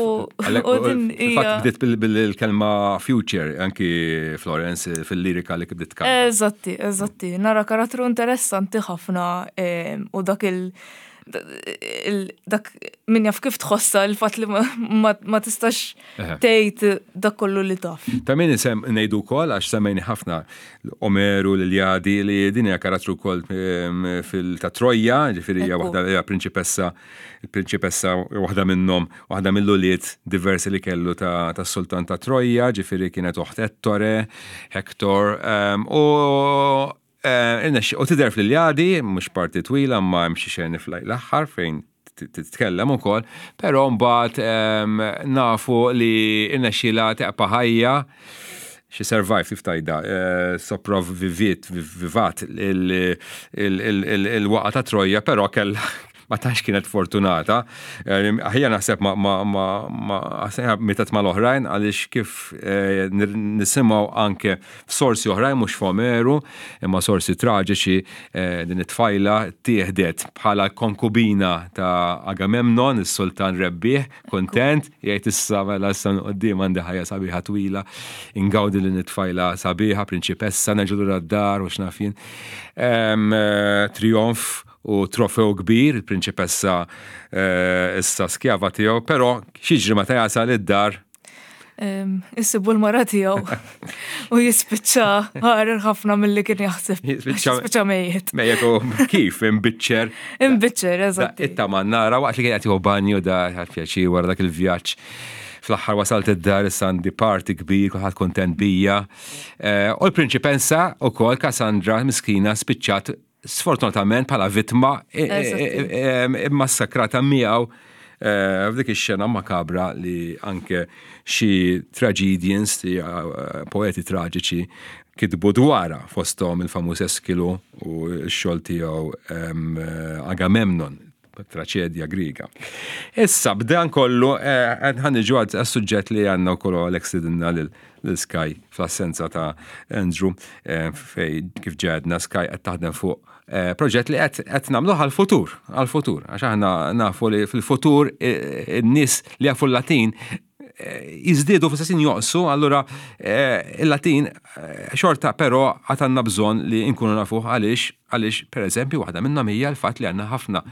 bdiet bil-kelma future anki Florence fil-lirika li bdiet tkanta. Eżatti, eżatti. Nara karattru interessanti ħafna u dak il- dak min jaf kif tħossa il-fatt li ma tistax tgħid dak kollu li taf. Ta' min isem ngħidu wkoll għax semmejni ħafna Omeru l-Iljadi li din hija karattru wkoll ehm, fil ta' Trojja, ġifieri hija waħda hija prinċipessa, il-prinċipessa waħda minnhom, waħda mill-ulied diversi li kellu tas-sultan ta' Trojja, ġifieri kienet oħt Ettore, Hector, ehm, u eh, u tidher fl-Iljadi, mhux parti twila, ma hemm xi xeni fl-aħħar fejn titkellem ukoll, però mbagħad ehm, nafu li irnexxielha teqpa' ħajja xi survive kif tajda, eh, sopravviviet, vivat il-waqa ta' Trojja, però kellha ma tantx kienet fortunata. Eh, aħjar naħseb ma ma ma ma mietet mal-oħrajn għaliex kif eh, nisimgħu anke f'sorsi oħrajn mhux f'Omeru, imma sorsi traġiċi eh, din it-tfajla tieħdet bħala konkubina ta' Agamemnon, is-sultan rebbieħ, kontent, jgħid issa mela issa quddiem għandi ħajja sabiħa twila, ingawdi lil it-tfajla sabiħa, prinċipessa, nerġa' lura d-dar u x'naf jien. Eh, trionf u trofew kbir, il-prinċipessa eh, issa skjava tiegħu, però x'jiġri meta jasal id-dar Issibu l-mara tiegħu u jispiċċa ħarer ħafna milli kien jaħseb. Jispiċċa mejjet. Mejjet u kif imbiċċer. Imbiċċer, eżatt. Itta mannara waqt li kien qed jieħu banju da pjaċir wara dak il-vjaġġ. Fl-aħħar wasalt id-dar issa għandi party kbir, kulħadd kontent bija. Eh, u l-prinċipensa ukoll Cassandra miskina spiċċat sfortunatament bħala vittma immassakrata miegħu eh, f'dik ix-xena makabra li anke xi tragedians, eh, poeti traġiċi kitbu dwarha fosthom il-famuż Eskilu u x-xogħol tiegħu eh, Agamemnon traċedja Griega. Issa b'dan kollu ħan niġu għas-suġġett li għandna wkoll Alex tidinna lil Sky fl-assenza ta' Andrew eh, fej kif ġedna Sky qed taħdem fuq eh, proġett li qed nagħmluh għall-futur, għall-futur, għax aħna nafu li fil-futur eh, in-nies li jafu l-Latin jiżdiedu fl-istess joqsu, allura il-Latin xorta però għad għandna bżonn li nkunu nafuh għaliex għaliex pereżempju waħda minnhom hija l-fatt li għandna ħafna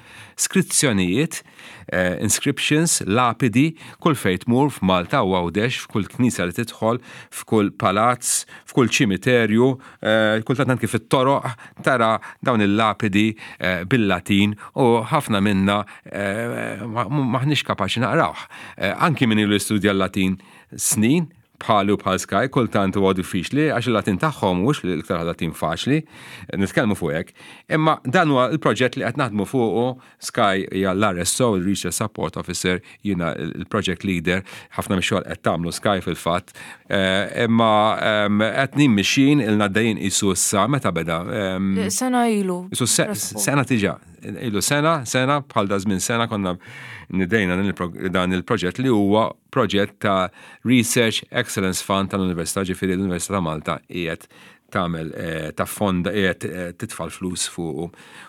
skrizzjonijiet Eh, inscriptions, lapidi, kull fejn tmur f'Malta u Għawdex, f'kull knisja li tidħol, f'kull palazz, f'kull ċimiterju, eh, kultant anki fit-toroq tara dawn il-lapidi eh, bil-Latin u ħafna minna maħniex kapaċi naqrawh. Anki min ilu jistudja l-Latin snin, bħali u bħal Sky kultant huwa diffiċli għax il-Latin tagħhom mhux l-iktar Latin faċli, nitkellmu fuq hekk. Imma dan huwa l-proġett li qed naħdmu fuqu Sky hija l-RSO, il-Research Support Officer, jiena il-project leader, ħafna mix-xogħol qed tagħmlu Sky fil-fatt. Eh, imma ehm, qed nimmixin ilna għaddejjin qisu issa meta beda? Ehm, sena ilu. Qisu sena tiġa. Ilu sena, sena, bħal da żmien sena konna nidejna dan il-proġett li huwa proġett ta' Research Excellence Fund tal-Università, ġifieri l-Università ta' Malta qiegħed tagħmel eh, ta' fonda qiegħed eh, titfa' l-flus fuqu.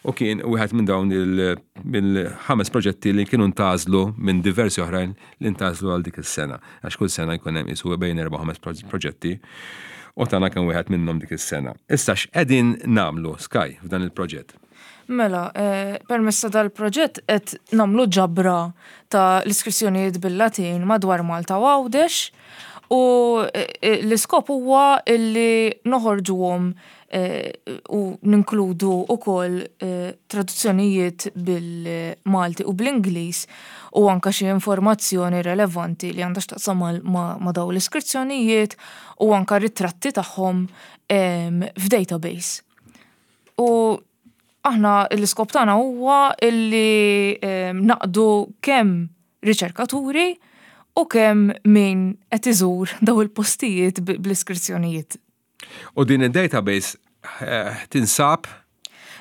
U kien wieħed minn dawn il-ħames proġetti li kienu ntażlu minn diversi oħrajn li ntażlu għal dik is-sena. Għax kull sena jkun hemm isu bejn erba' ħames proġetti u tagħna kien wieħed minnhom dik is-sena. Issa x'qegħdin nagħmlu Sky f'dan il-proġett? Mela, eh, permezz ta' dal-proġett qed nagħmlu ġabra ta' l-iskrizzjonijiet bil-Latin madwar Malta u Għawdex u eh, eh, l-iskop huwa illi noħorġuhom u ninkludu wkoll traduzzjonijiet bil-Malti u bl-Ingliż u anke xi informazzjoni relevanti li għandha x'taqsam ma' dawn l-iskrizzjonijiet u anke ritratti tagħhom f'database. U aħna l-iskop tagħna huwa illi naqdu kemm riċerkaturi u kemm min qed iżur daw il-postijiet bl-iskrizzjonijiet. U din id-database eh, tinsab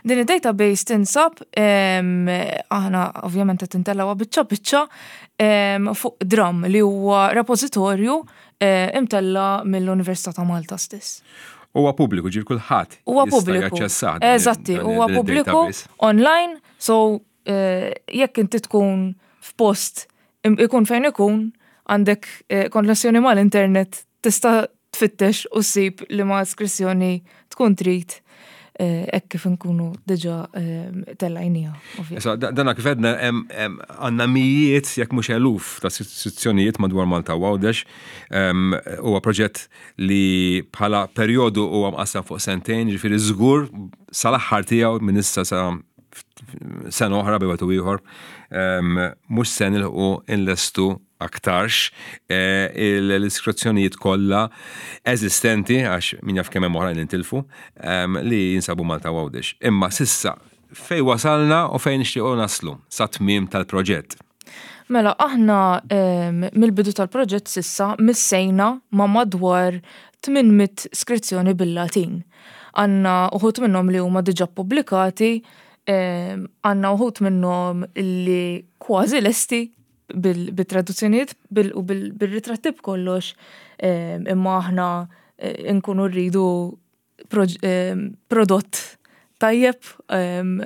Din id-database tinsab aħna ovvjament qed intellgħuha biċċa biċċa fuq Drum li huwa repożitorju eh, imtella mill-Università ta' Malta stess. Huwa pubbliku, ġir kulħadd. Huwa pubbliku. Eżatti, huwa pubbliku online, so eh, jekk inti tkun f'post ikun fejn ikun għandek eh, konnessjoni mal-internet tista' tfittex u ssib li ma iskrizzjoni tkun trid eh, hekk kif nkunu diġà eh, tellajnija. Issa, dana kif għedna għandna mijiet jekk mhux eluf ta' istituzzjonijiet madwar Malta u Għawdex. Huwa proġett li bħala perjodu huwa mqassam fuq sentejn, ġifieri żgur sal-aħħar tiegħu minn issa sa sena oħra bejn u ieħor, mhux se nilħqu inlestu aktarx eh, l-iskrizzjonijiet kollha eżistenti għax min jaf kemm hemm oħrajn intilfu li jinsabu Malta u Għawdex. Imma sissa fej wasalna u fejn nixtiequ naslu sa tmiem tal-proġett. Mela, aħna mill-bidu tal-proġett sissa missejna ma' madwar 800 skrizzjoni bil-Latin. Għanna uħut minnhom li huma diġà pubblikati, għanna uħut minnhom li kważi lesti bil-traduzzjonijiet u bil-ritratti b'kollox, imma aħna eh, nkunu rridu prodott tajjeb,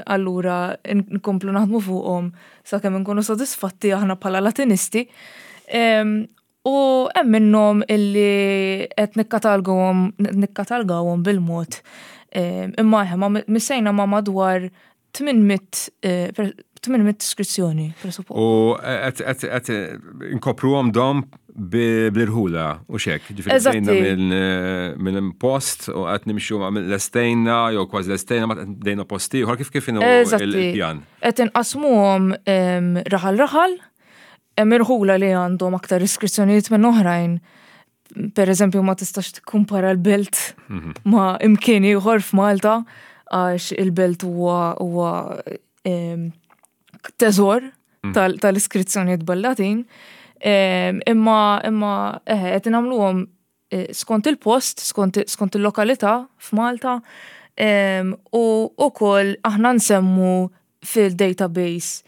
allura nkomplu naħdmu fuqhom sakemm nkunu sodisfatti aħna bħala Latinisti. U hemm minnhom illi qed nikkatalgawhom nikkatalgawhom bil-mod. Imma eħe ma missejna ma' madwar 800 800 iskrizzjoni, presuppost. U qed inkopruhom dom bl-irħula u xek. Ġifieri bdejna minn post u qed nimxu lestejna jew kważi lestejna ma bdejna post ieħor kif kif inhu il-pjan. Qed inqasmuhom raħal raħal, hemm irħula li għandhom aktar iskrizzjonijiet minn oħrajn. Per eżempju, ma tistax tikkumpara l-belt mhm. ma imkien ieħor f'Malta għax il-belt huwa huwa teżor mhm. tal-iskrizzjonijiet bil-Latin. Imma imma eħe qed nagħmluhom eh, skont il-post, skont il-lokalità f'Malta u wkoll aħna nsemmu fil-database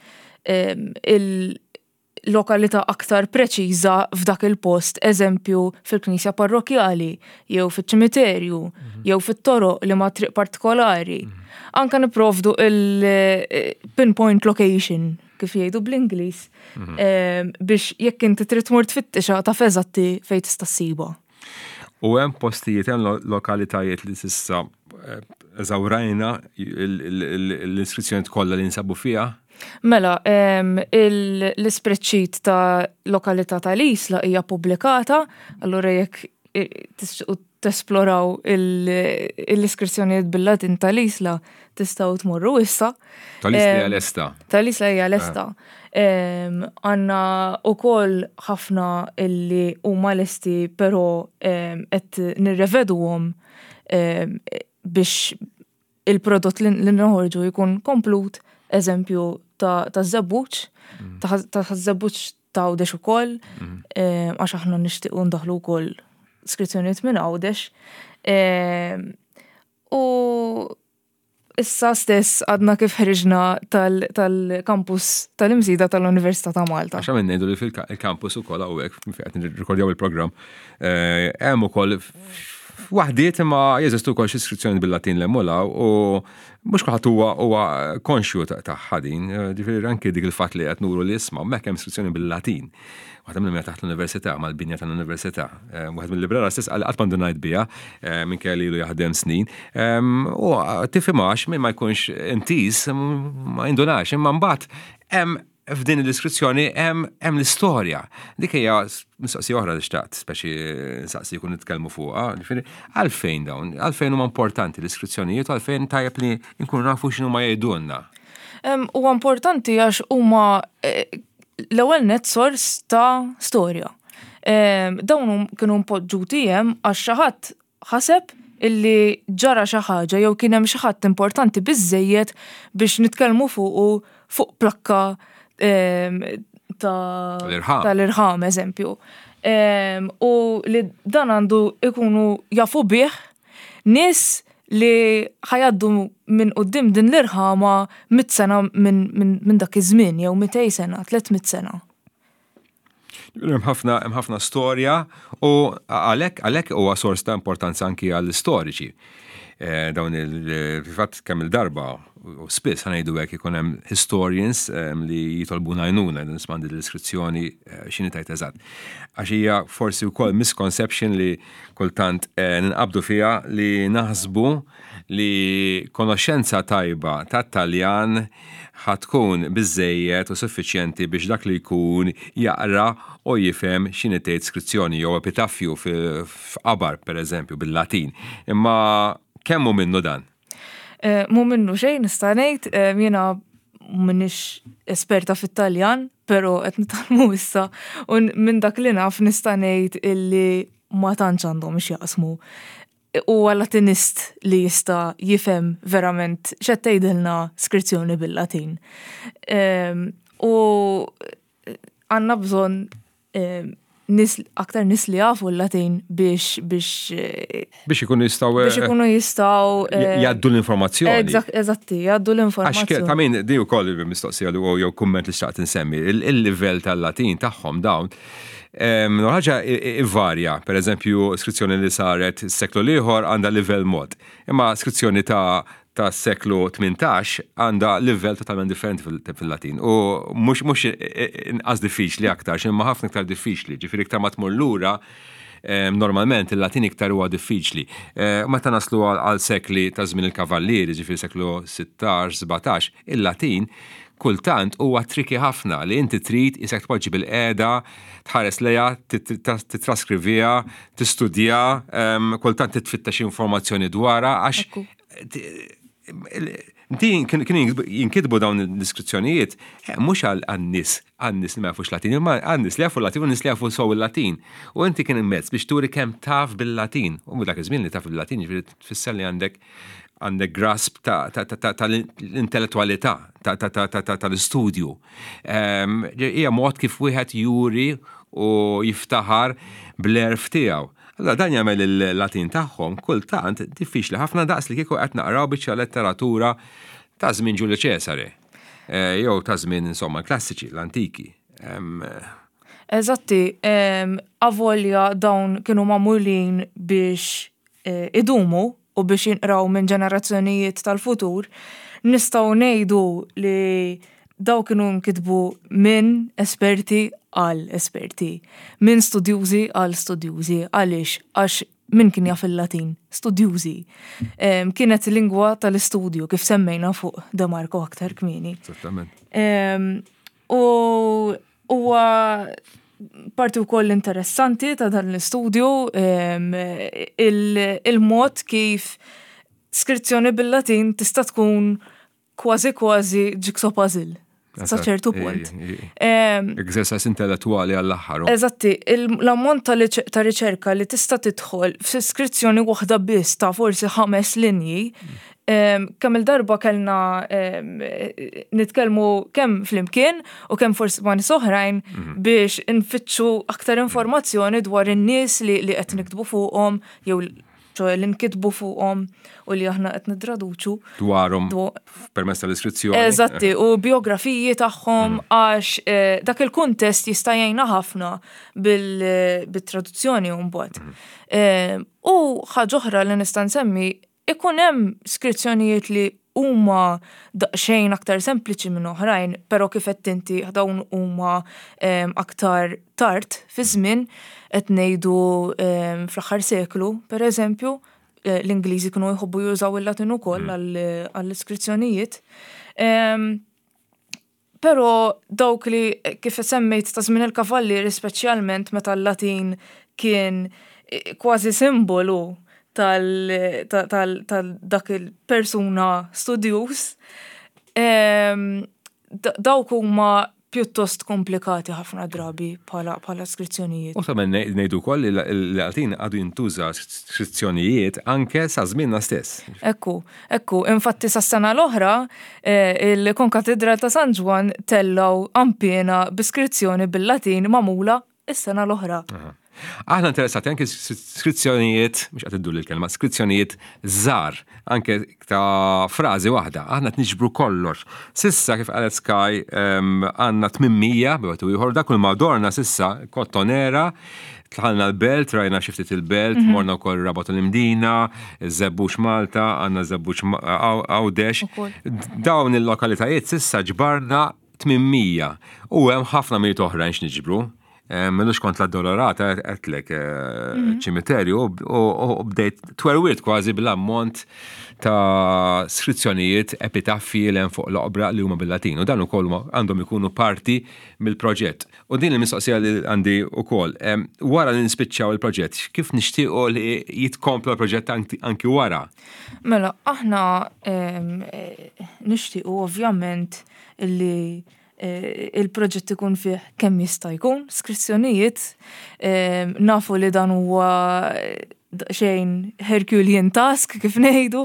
il-lokalità aktar preċiża f'dak il-post, eżempju fil-knisja parrokjali, jew fiċ-ċimiterju, mhm. jew fit-toroq li ma triq partikolari. Mhm. Anka niprovdu il-pinpoint location, kif jgħidu bl-Ingliż, mhm. biex jekk inti trid tmur tfittixa taf eżatti fejn tista' ssibha. U hemm postijiet, hemm lokalitajiet li s'issa eh, eżawrajna l-iskrizzjoni kollha li nsabu fiha? Mela, l-ispreadsheet ta' lokalità tal-Isla hija pubblikata, allura jekk tixtiequ tesploraw l-iskrizzjonijiet bil-Latin tal-Isla tistgħu tmorru issa. Tal-Isla hija lesta. Tal-Isla hija lesta. Għandna wkoll ħafna illi huma lesti però qed nirreveduhom biex il-prodott li noħorġu jkun komplut, eżempju ta' żebbuġ, mm. ta' żebbuġ ta' Għawdex ukoll, mm. għax aħna nixtiequ ndaħlu wkoll skrizzjonijiet minn Għawdex. U Issa stess għadna kif ħriġna tal-kampus tal-Imsida tal-Università ta' Malta. Għax għamil ngħidu li fil-kampus ukoll hawnhekk fejn qed nirrikordjaw il-programm, eh, hemm ukoll waħdiet imma jeżistu wkoll xi iskrizzjoni bil-Latin l u mhux kulħadd huwa huwa konxju tagħha din, ġifieri anki dik il-fatt li qed nuru li isma' hemmhekk hemm iskrizzjoni bil-Latin. Waħda minnhom hija taħt l-università, mal-binja tal-università. Eh, wieħed mill-librara stess qal qatt m'għandu ngħid biha, eh, minkejja li ilu jaħdem snin. Ehm, u tifhimhax min ma jkunx intiż ma jindunax, imma mbagħad hemm f'din l-iskrizzjoni hemm l-istorja. Dik hija mistoqsija oħra li xtaqt, speċi nsaqsi jkun nitkellmu fuqha, ġifieri għalfejn dawn, għalfejn huma importanti l-iskrizzjonijiet u għalfejn tajjeb li nkunu nafu x'inhu ma jgħidulna. Huwa importanti għax huma eh, l-ewwel net sors ta' storja. Dawn kienu mpoġġuti hemm għax xi ħadd ħaseb illi ġara xi ħaġa jew kien hemm xi ħadd importanti biżejjed biex nitkellmu fuqu fuq plakka tal-irħam, eżempju. U li dan għandu ikunu jafu bih nies li ħa jgħaddu minn quddiem din l-irħama mitt sena minn dak iż-żmien jew mitej sena, 300 sena. Hemm ħafna hemm ħafna storja u għalhekk għalhekk huwa sors ta' importanza anki għall-istoriċi. Eh, dawn il-fatt kemm il-darba u spiss ħanejdu hekk ikun hemm historians eh, li jitolbuna għajnuna nisma' l-iskrizzjoni eh, x'inhi tajt eżatt. Għax hija forsi wkoll misconception li Kultant ninqabdu fiha li naħsbu li konoxxenza tajba tat-Taljan ħa tkun biżżejjed u suffiċjenti biex dak li jkun jaqra u jifhem x'inhi tgħid skrizzjoni jew epitaffju f'qabar, pereżempju, bil-Latin. Imma kemm hu minnu dan? Mhu minnu xejn nista' ngħid, jiena m'iniex esperta fit-Taljan, però qed nitgħallmu issa u minn dak li naf nista' ngħid illi ma tantx għandhom x'jaqsmu. Huwa Latinist li jista' jifhem verament x'qed tgħidilna skrizzjoni bil-Latin. Ehm, u għandna bżonn ehm, nis, aktar nis li jafu l-Latin biex biex eh, biex ikunu jistaw biex eh, ikunu jistaw eh, jgħaddu l-informazzjoni. Eżatti, jgħaddu l-informazzjoni. Ta' min di wkoll mistoqsija li jew kumment li xtaqt insemmi, il-livell tal-Latin tagħhom dawn ħaġa varja, per eżempju, skrizzjoni li saret s-seklu l-ieħor għandha livell mod. Imma skrizzjoni ta' ta' seklu 18 għandha livell totalment differenti fil-Latin. U mhux mhux inqas diffiċli aktar, imma ħafna iktar diffiċli, ġifieri iktar ma tmur lura normalment il-Latin iktar huwa diffiċli. Eh, meta naslu għal sekli ta' żmien il-kavallieri, ġifieri seklu 16, 17, il-Latin kultant huwa triki ħafna li inti trid isek tpoġġi bil-qeda, tħares lejha, titraskriviha, tistudja, kultant titfittex informazzjoni dwarha għax Din kienu jinkitbu dawn l-iskrizzjonijiet eh, mhux għan-nies għan-nies li ma jafux Latin, imma għan-nies li jafu Latin u nies li jafu sew il-Latin. U inti kien mezz biex turi kemm taf bil-Latin. U dak iż-żmien li taf bil-Latin jiġifieri tfisser li għandek għandek grasp tal-intellettualità, tal-istudju. Ehm, hija mod kif wieħed juri u jiftaħar bl-erf tiegħu. Allura dan jagħmel il-Latin tagħhom kultant diffiċli ħafna daqs li kieku qed naqraw biċċa letteratura ta' żmien Ġulju Ċesare eh, jew ta' żmien insomma klassiċi, l-antiki. Eżatti, avolja dawn kienu magħmulin biex eh, idumu u biex jinqraw minn ġenerazzjonijiet tal-futur, nistgħu ngħidu li daw kienu nkitbu minn esperti għal esperti, minn studjużi għal studjużi. Għaliex? Għax min kien jaf il-Latin? Studjużi. Kienet lingwa tal-istudju kif semmejna fuq De Marco aktar kmieni. Esattament. U huwa parti wkoll interessanti ta' dan l-istudju il-mod kif skrizzjoni bil-Latin tista' tkun kważi kważi jigsaw puzzle sa ċertu punt. Exercise intellettuali għall-aħħar. Eżatti, l-ammont ta' riċerka li tista' tidħol f'iskrizzjoni waħda biss ta' forsi ħames linji Kemm il-darba kellna nitkellmu kemm flimkien u kemm forsi ma' nies oħrajn mhm. biex nfittxu aktar informazzjoni dwar in-nies li qed niktbu fuqhom jew. ċoe li nkitbu fuqhom u li aħna qed nittraduċu. Dwarhom permezz tal-iskrizzjoni. Eżatti, u biografiji tagħhom għax dak il-kuntest jista' jgħinna ħafna bil-traduzzjoni mbagħad. U ħaġa oħra li nista' nsemmi, ikun hemm skrizzjonijiet li huma daqsxejn aktar sempliċi minn oħrajn, però kif qed inti dawn huma aktar tard fi żmien, qed ngħidu fl-aħħar seklu, per eżempju, l-Ingliżi kienu jħobbu jużaw il-Latin ukoll għall-iskrizzjonijiet. Però dawk li kif semmejt ta' żmien il-kavallieri, speċjalment meta l-Latin kien kważi simbolu tal dak il-persuna studjuż, dawk huma pjuttost komplikati ħafna drabi bħala skrizzjonijiet. U ta' ngħidu wkoll li l-Latin għadu jintuża skrizzjonijiet anke sa żmienna stess. Ekku, ekku, infatti sa sena l-oħra il-Konkatedral ta' San Ġwann tellgħu qanpiena bi skrizzjoni bil-Latin magħmula is-sena l-oħra. Aħna interessati anke skrizzjonijiet, mhux qed iddur il-kelma, skrizzjonijiet żgħar, anke ta' frażi waħda. Aħna qed niġbru kollox. Sissa kif qalet Sky għandna 800 b'wieħed u ieħor, dak kull ma dorna sissa Kottonera, dħalna l-Belt, rajna xi ftit il-Belt, morna wkoll Rabat u l-Imdina, Żebbuġ Malta, għandna Żebbuġ Għawdex. Dawn il-lokalitajiet sissa ġbarna 800 u hemm ħafna mijiet oħrajn x'niġbru. M'ilux kont l-Addolorata għedtlek ċimiterju u bdejt twerwirt kważi bl-ammont ta' skrizzjonijiet epitaffi li hemm fuq l-oqbra li huma bil-Latin u dan ukoll għandhom ikunu parti mill-proġett. U din il-mistoqsija li għandi ukoll, wara li nispiċċaw il-proġett, kif nixtiequ li jitkompla l-proġett anki wara? Mela, aħna nixtiequ ovvjament li il-proġett ikun fih kemm jista' jkun skrizzjonijiet. Nafu li dan huwa xejn Herculean task kif ngħidu.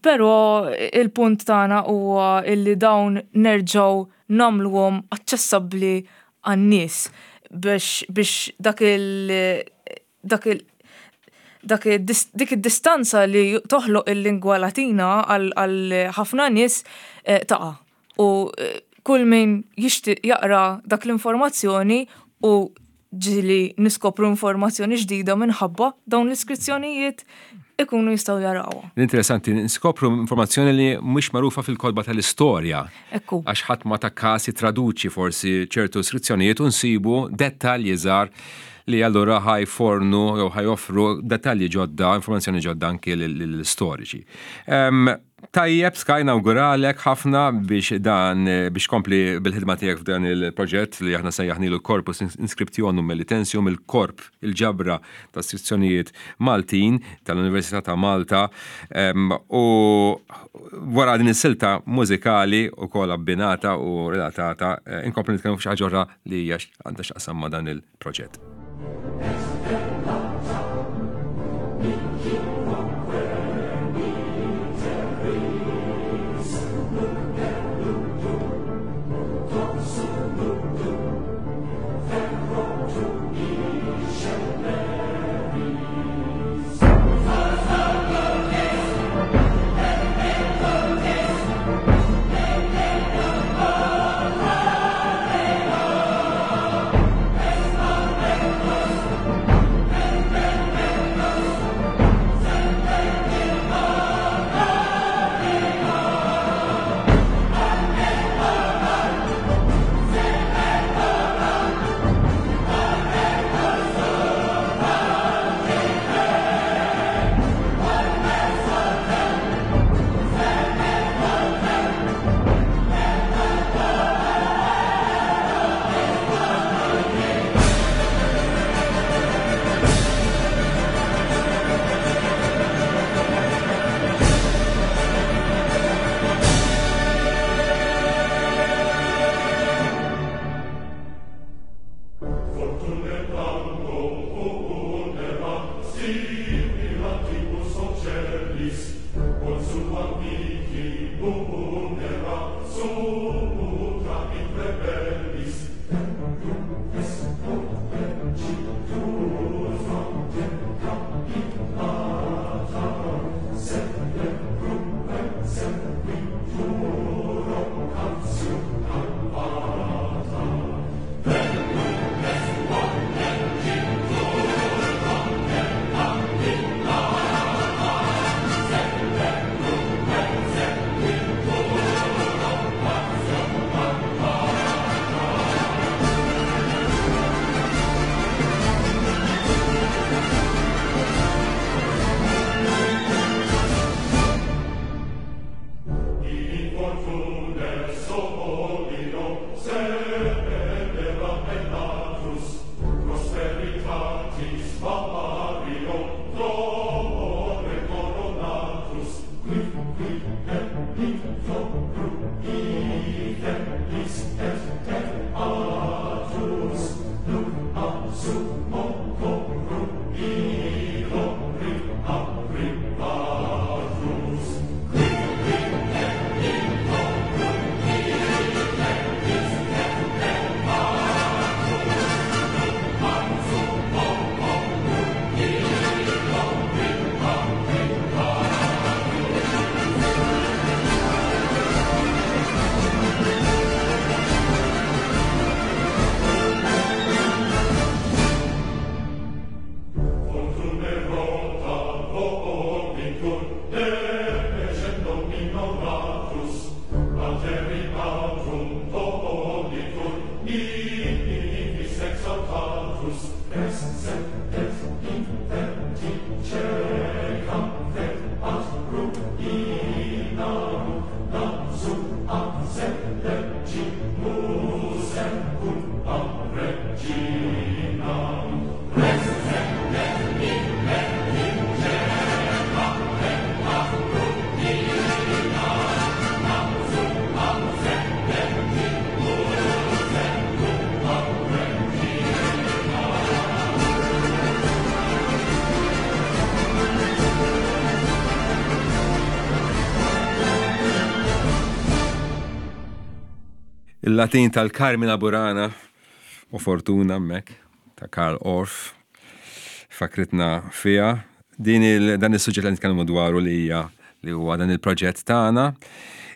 Però il-punt tagħna huwa illi dawn nerġgħu nagħmluhom aċċessabbli għan-nies biex dak il dak il dak dik id-distanza li toħloq il-lingwa Latina għal ħafna nies taqa'. U kull min jixtieq jaqra dak l-informazzjoni u ġieli niskopru informazzjoni ġdida minħabba dawn l-iskrizzjonijiet ikunu jistgħu jarawha. L-interessanti niskopru informazzjoni li mhux magħrufa fil-kotba tal-istorja. Ekku. Għax ħadd ma ta każ jittraduċi forsi ċertu skrizzjonijiet u nsibu dettalji żgħar li allura ħa jfornu jew ħa joffru dettalji ġodda, informazzjoni ġodda anki lill-istoriċi. Tajjeb, Sky, nawguralek ħafna biex dan biex kompli bil-ħidma tiegħek f'dan il-proġett li aħna sejjaħnilu Corpus Inscriptionum Melitensium, il-korp, il-ġabra ta' skrizzjonijiet Maltin tal-Università ta' Malta. U wara din is-silta mużikali wkoll abbinata u relatata, inkomplu nitkellmu f'xi ħaġa oħra li hija għandha x'taqsam ma' dan il-proġett. Il-Latin tal-Carmina Burana u Fortuna hemmhekk ta' Karl Orff fakritna fiha. Din il, dan is-suġġett li nitkellmu dwaru li hija li huwa dan il-proġett tagħna.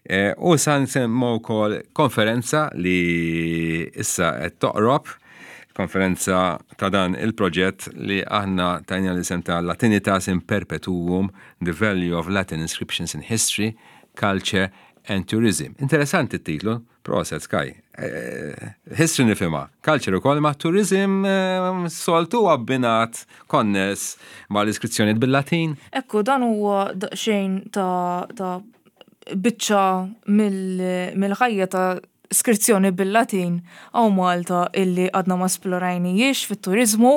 E, u sa nsemmu wkoll konferenza li issa qed toqrob, konferenza ta' dan il-proġett li aħna tajna l-isem ta' Latinitas in Perpetuum, The Value of Latin Inscriptions in History, Culture and Tourism. Interessanti t-titlu, proset Sky. Eh, history nifhimha, culture ukoll ma' tourism eh, soltu abbinat konness ma' l-iskrizzjonijiet bil-Latin. Ekku, dan huwa daqsxejn ta', ta biċċa mill-ħajja ta' skrizzjoni bil-Latin hawn Malta illi għadna ma splorajnijiex fit-turiżmu.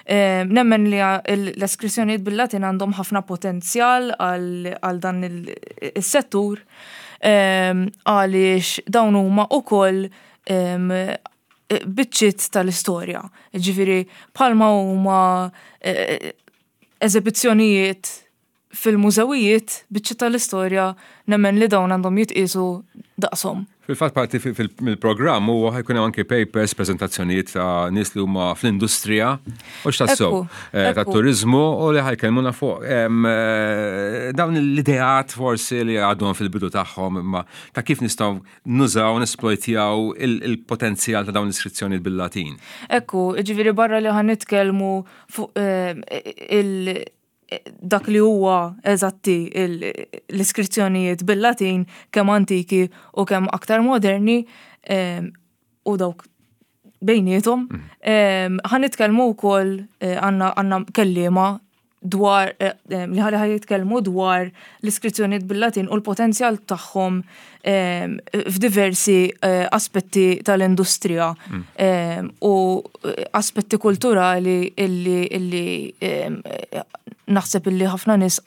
Eh, nemmen li l-eskrizzjonijiet bil-Latin għandhom ħafna potenzjal għal dan il-settur eh, għaliex dawn huma ukoll eh, biċċiet tal-istorja. Ġifieri bħalma huma eżibizzjonijiet fil-mużewijiet, biċċiet tal-istorja nemmen li dawn għandhom jitqiesu daqshom. Fil-fatt parti mill-programm huwa ħajkun hemm anke papers, preżentazzjonijiet ta' nies li huma fl-industrija u x'tassew eh, tat-turiżmu u li ħajkellmuna fuq eh, dawn l-ideat forsi li għadhom fil-bidu tagħhom imma ta' kif nistgħu nużaw nesplojtjaw il-potenzjal ta' dawn l-iskrizzjonijiet bil-Latin. Ekku, ġifieri barra li ħan nitkellmu fuq eh, il- dak li huwa eżatti l-iskrizzjonijiet bil-Latin kemm antiki u kemm aktar moderni u dawk bejniethom. Mm. Ħa nitkellmu wkoll eh, għandna kelliema dwar eh, eh, li ħalli ħaj jitkellmu dwar l-iskrizzjonijiet bil-Latin u l-potenzjal tagħhom f'diversi aspetti tal-industrija mm. u aspetti kulturali illi illi naħseb illi ħafna nies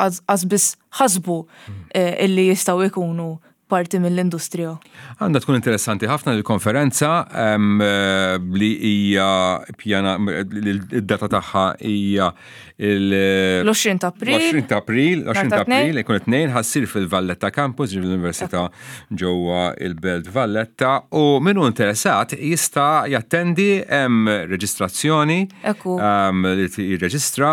biss ħasbu mm. illi jistgħu jkunu parti mill-industrija. Għandha tkun interessanti ħafna l-konferenza li hija pjana id-data tagħha hija l-20 ta' April. 20 ta' April, 20 ta' April, ikun it-tnejn ħassir fil-Valletta Campus, ġifieri l-Università ġewwa il-Belt Valletta u min hu interessat jista' jattendi hemm reġistrazzjoni li jirreġistra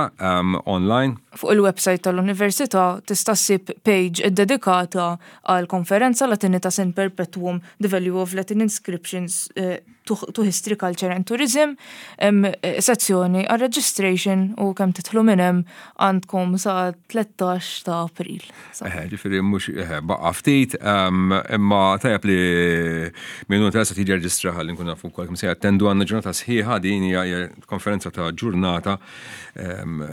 online. Fuq il-website tal-Università tista' ssib page iddedikata għal konferenza Latinitas in Perpetuum, The Value of Latin Inscriptions eh, to, to History, Culture and Tourism, hemm eh, sezzjoni għal registration u kemm titħlu minn hemm għandkom sa 13 ta' April. Eh, ġifieri mhux eh, baqa' ftit, ehm, imma tajjeb li minnu interessa tiġi reġistra ħalli nkun nafu wkoll kemm se jattendu għandna ġurnata sħiħa din hija konferenza ta' ġurnata ehm,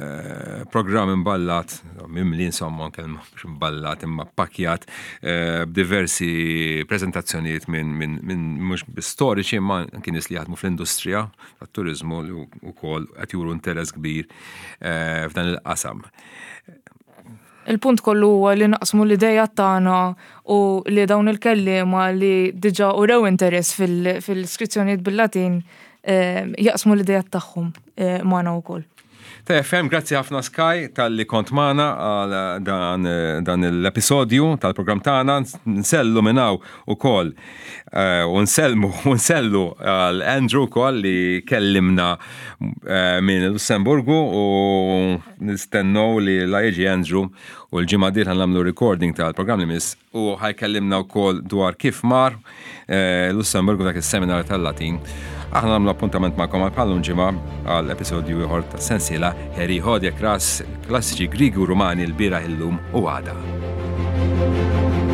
programm imballat, mimli insomma kelma mhux imballat imma ppakjat eh, b'diversi preżentazzjonijiet minn min, min mhux storiċi imma anki nies li jaħdmu fl-industrija tat-turiżmu li wkoll qed juru interess kbir eh, f'dan il-qasam. Il-punt kollu huwa li naqsmu l-ideja tagħna u li dawn il-kelliema li diġà urew interess fil-iskrizzjonijiet bil-Latin eh, jaqsmu l-idejat tagħhom magħna wkoll. TFM, grazzi ħafna Sky talli kont magħna għal dan, dan l-episodju tal-programm tagħna. Nsellu minn hawn ukoll eh, u nsellmu u nsellu għal Andrew ukoll li kellimna eh, minn Lussemburgu u nistennew li la jiġi Andrew u l-ġimgħa dieħla nagħmlu recording tal-programm li miss u ħajkellimna wkoll dwar kif mar eh, Lussemburgu dak is-seminar tal-Latin. Aħna nagħmlu appuntament magħkom għal bħalum ġimgħa għal episodju ieħor ta' sensiela Harry Hodja Kras, klassiċi Grigi u Rumani l-bieraħ illum u għada.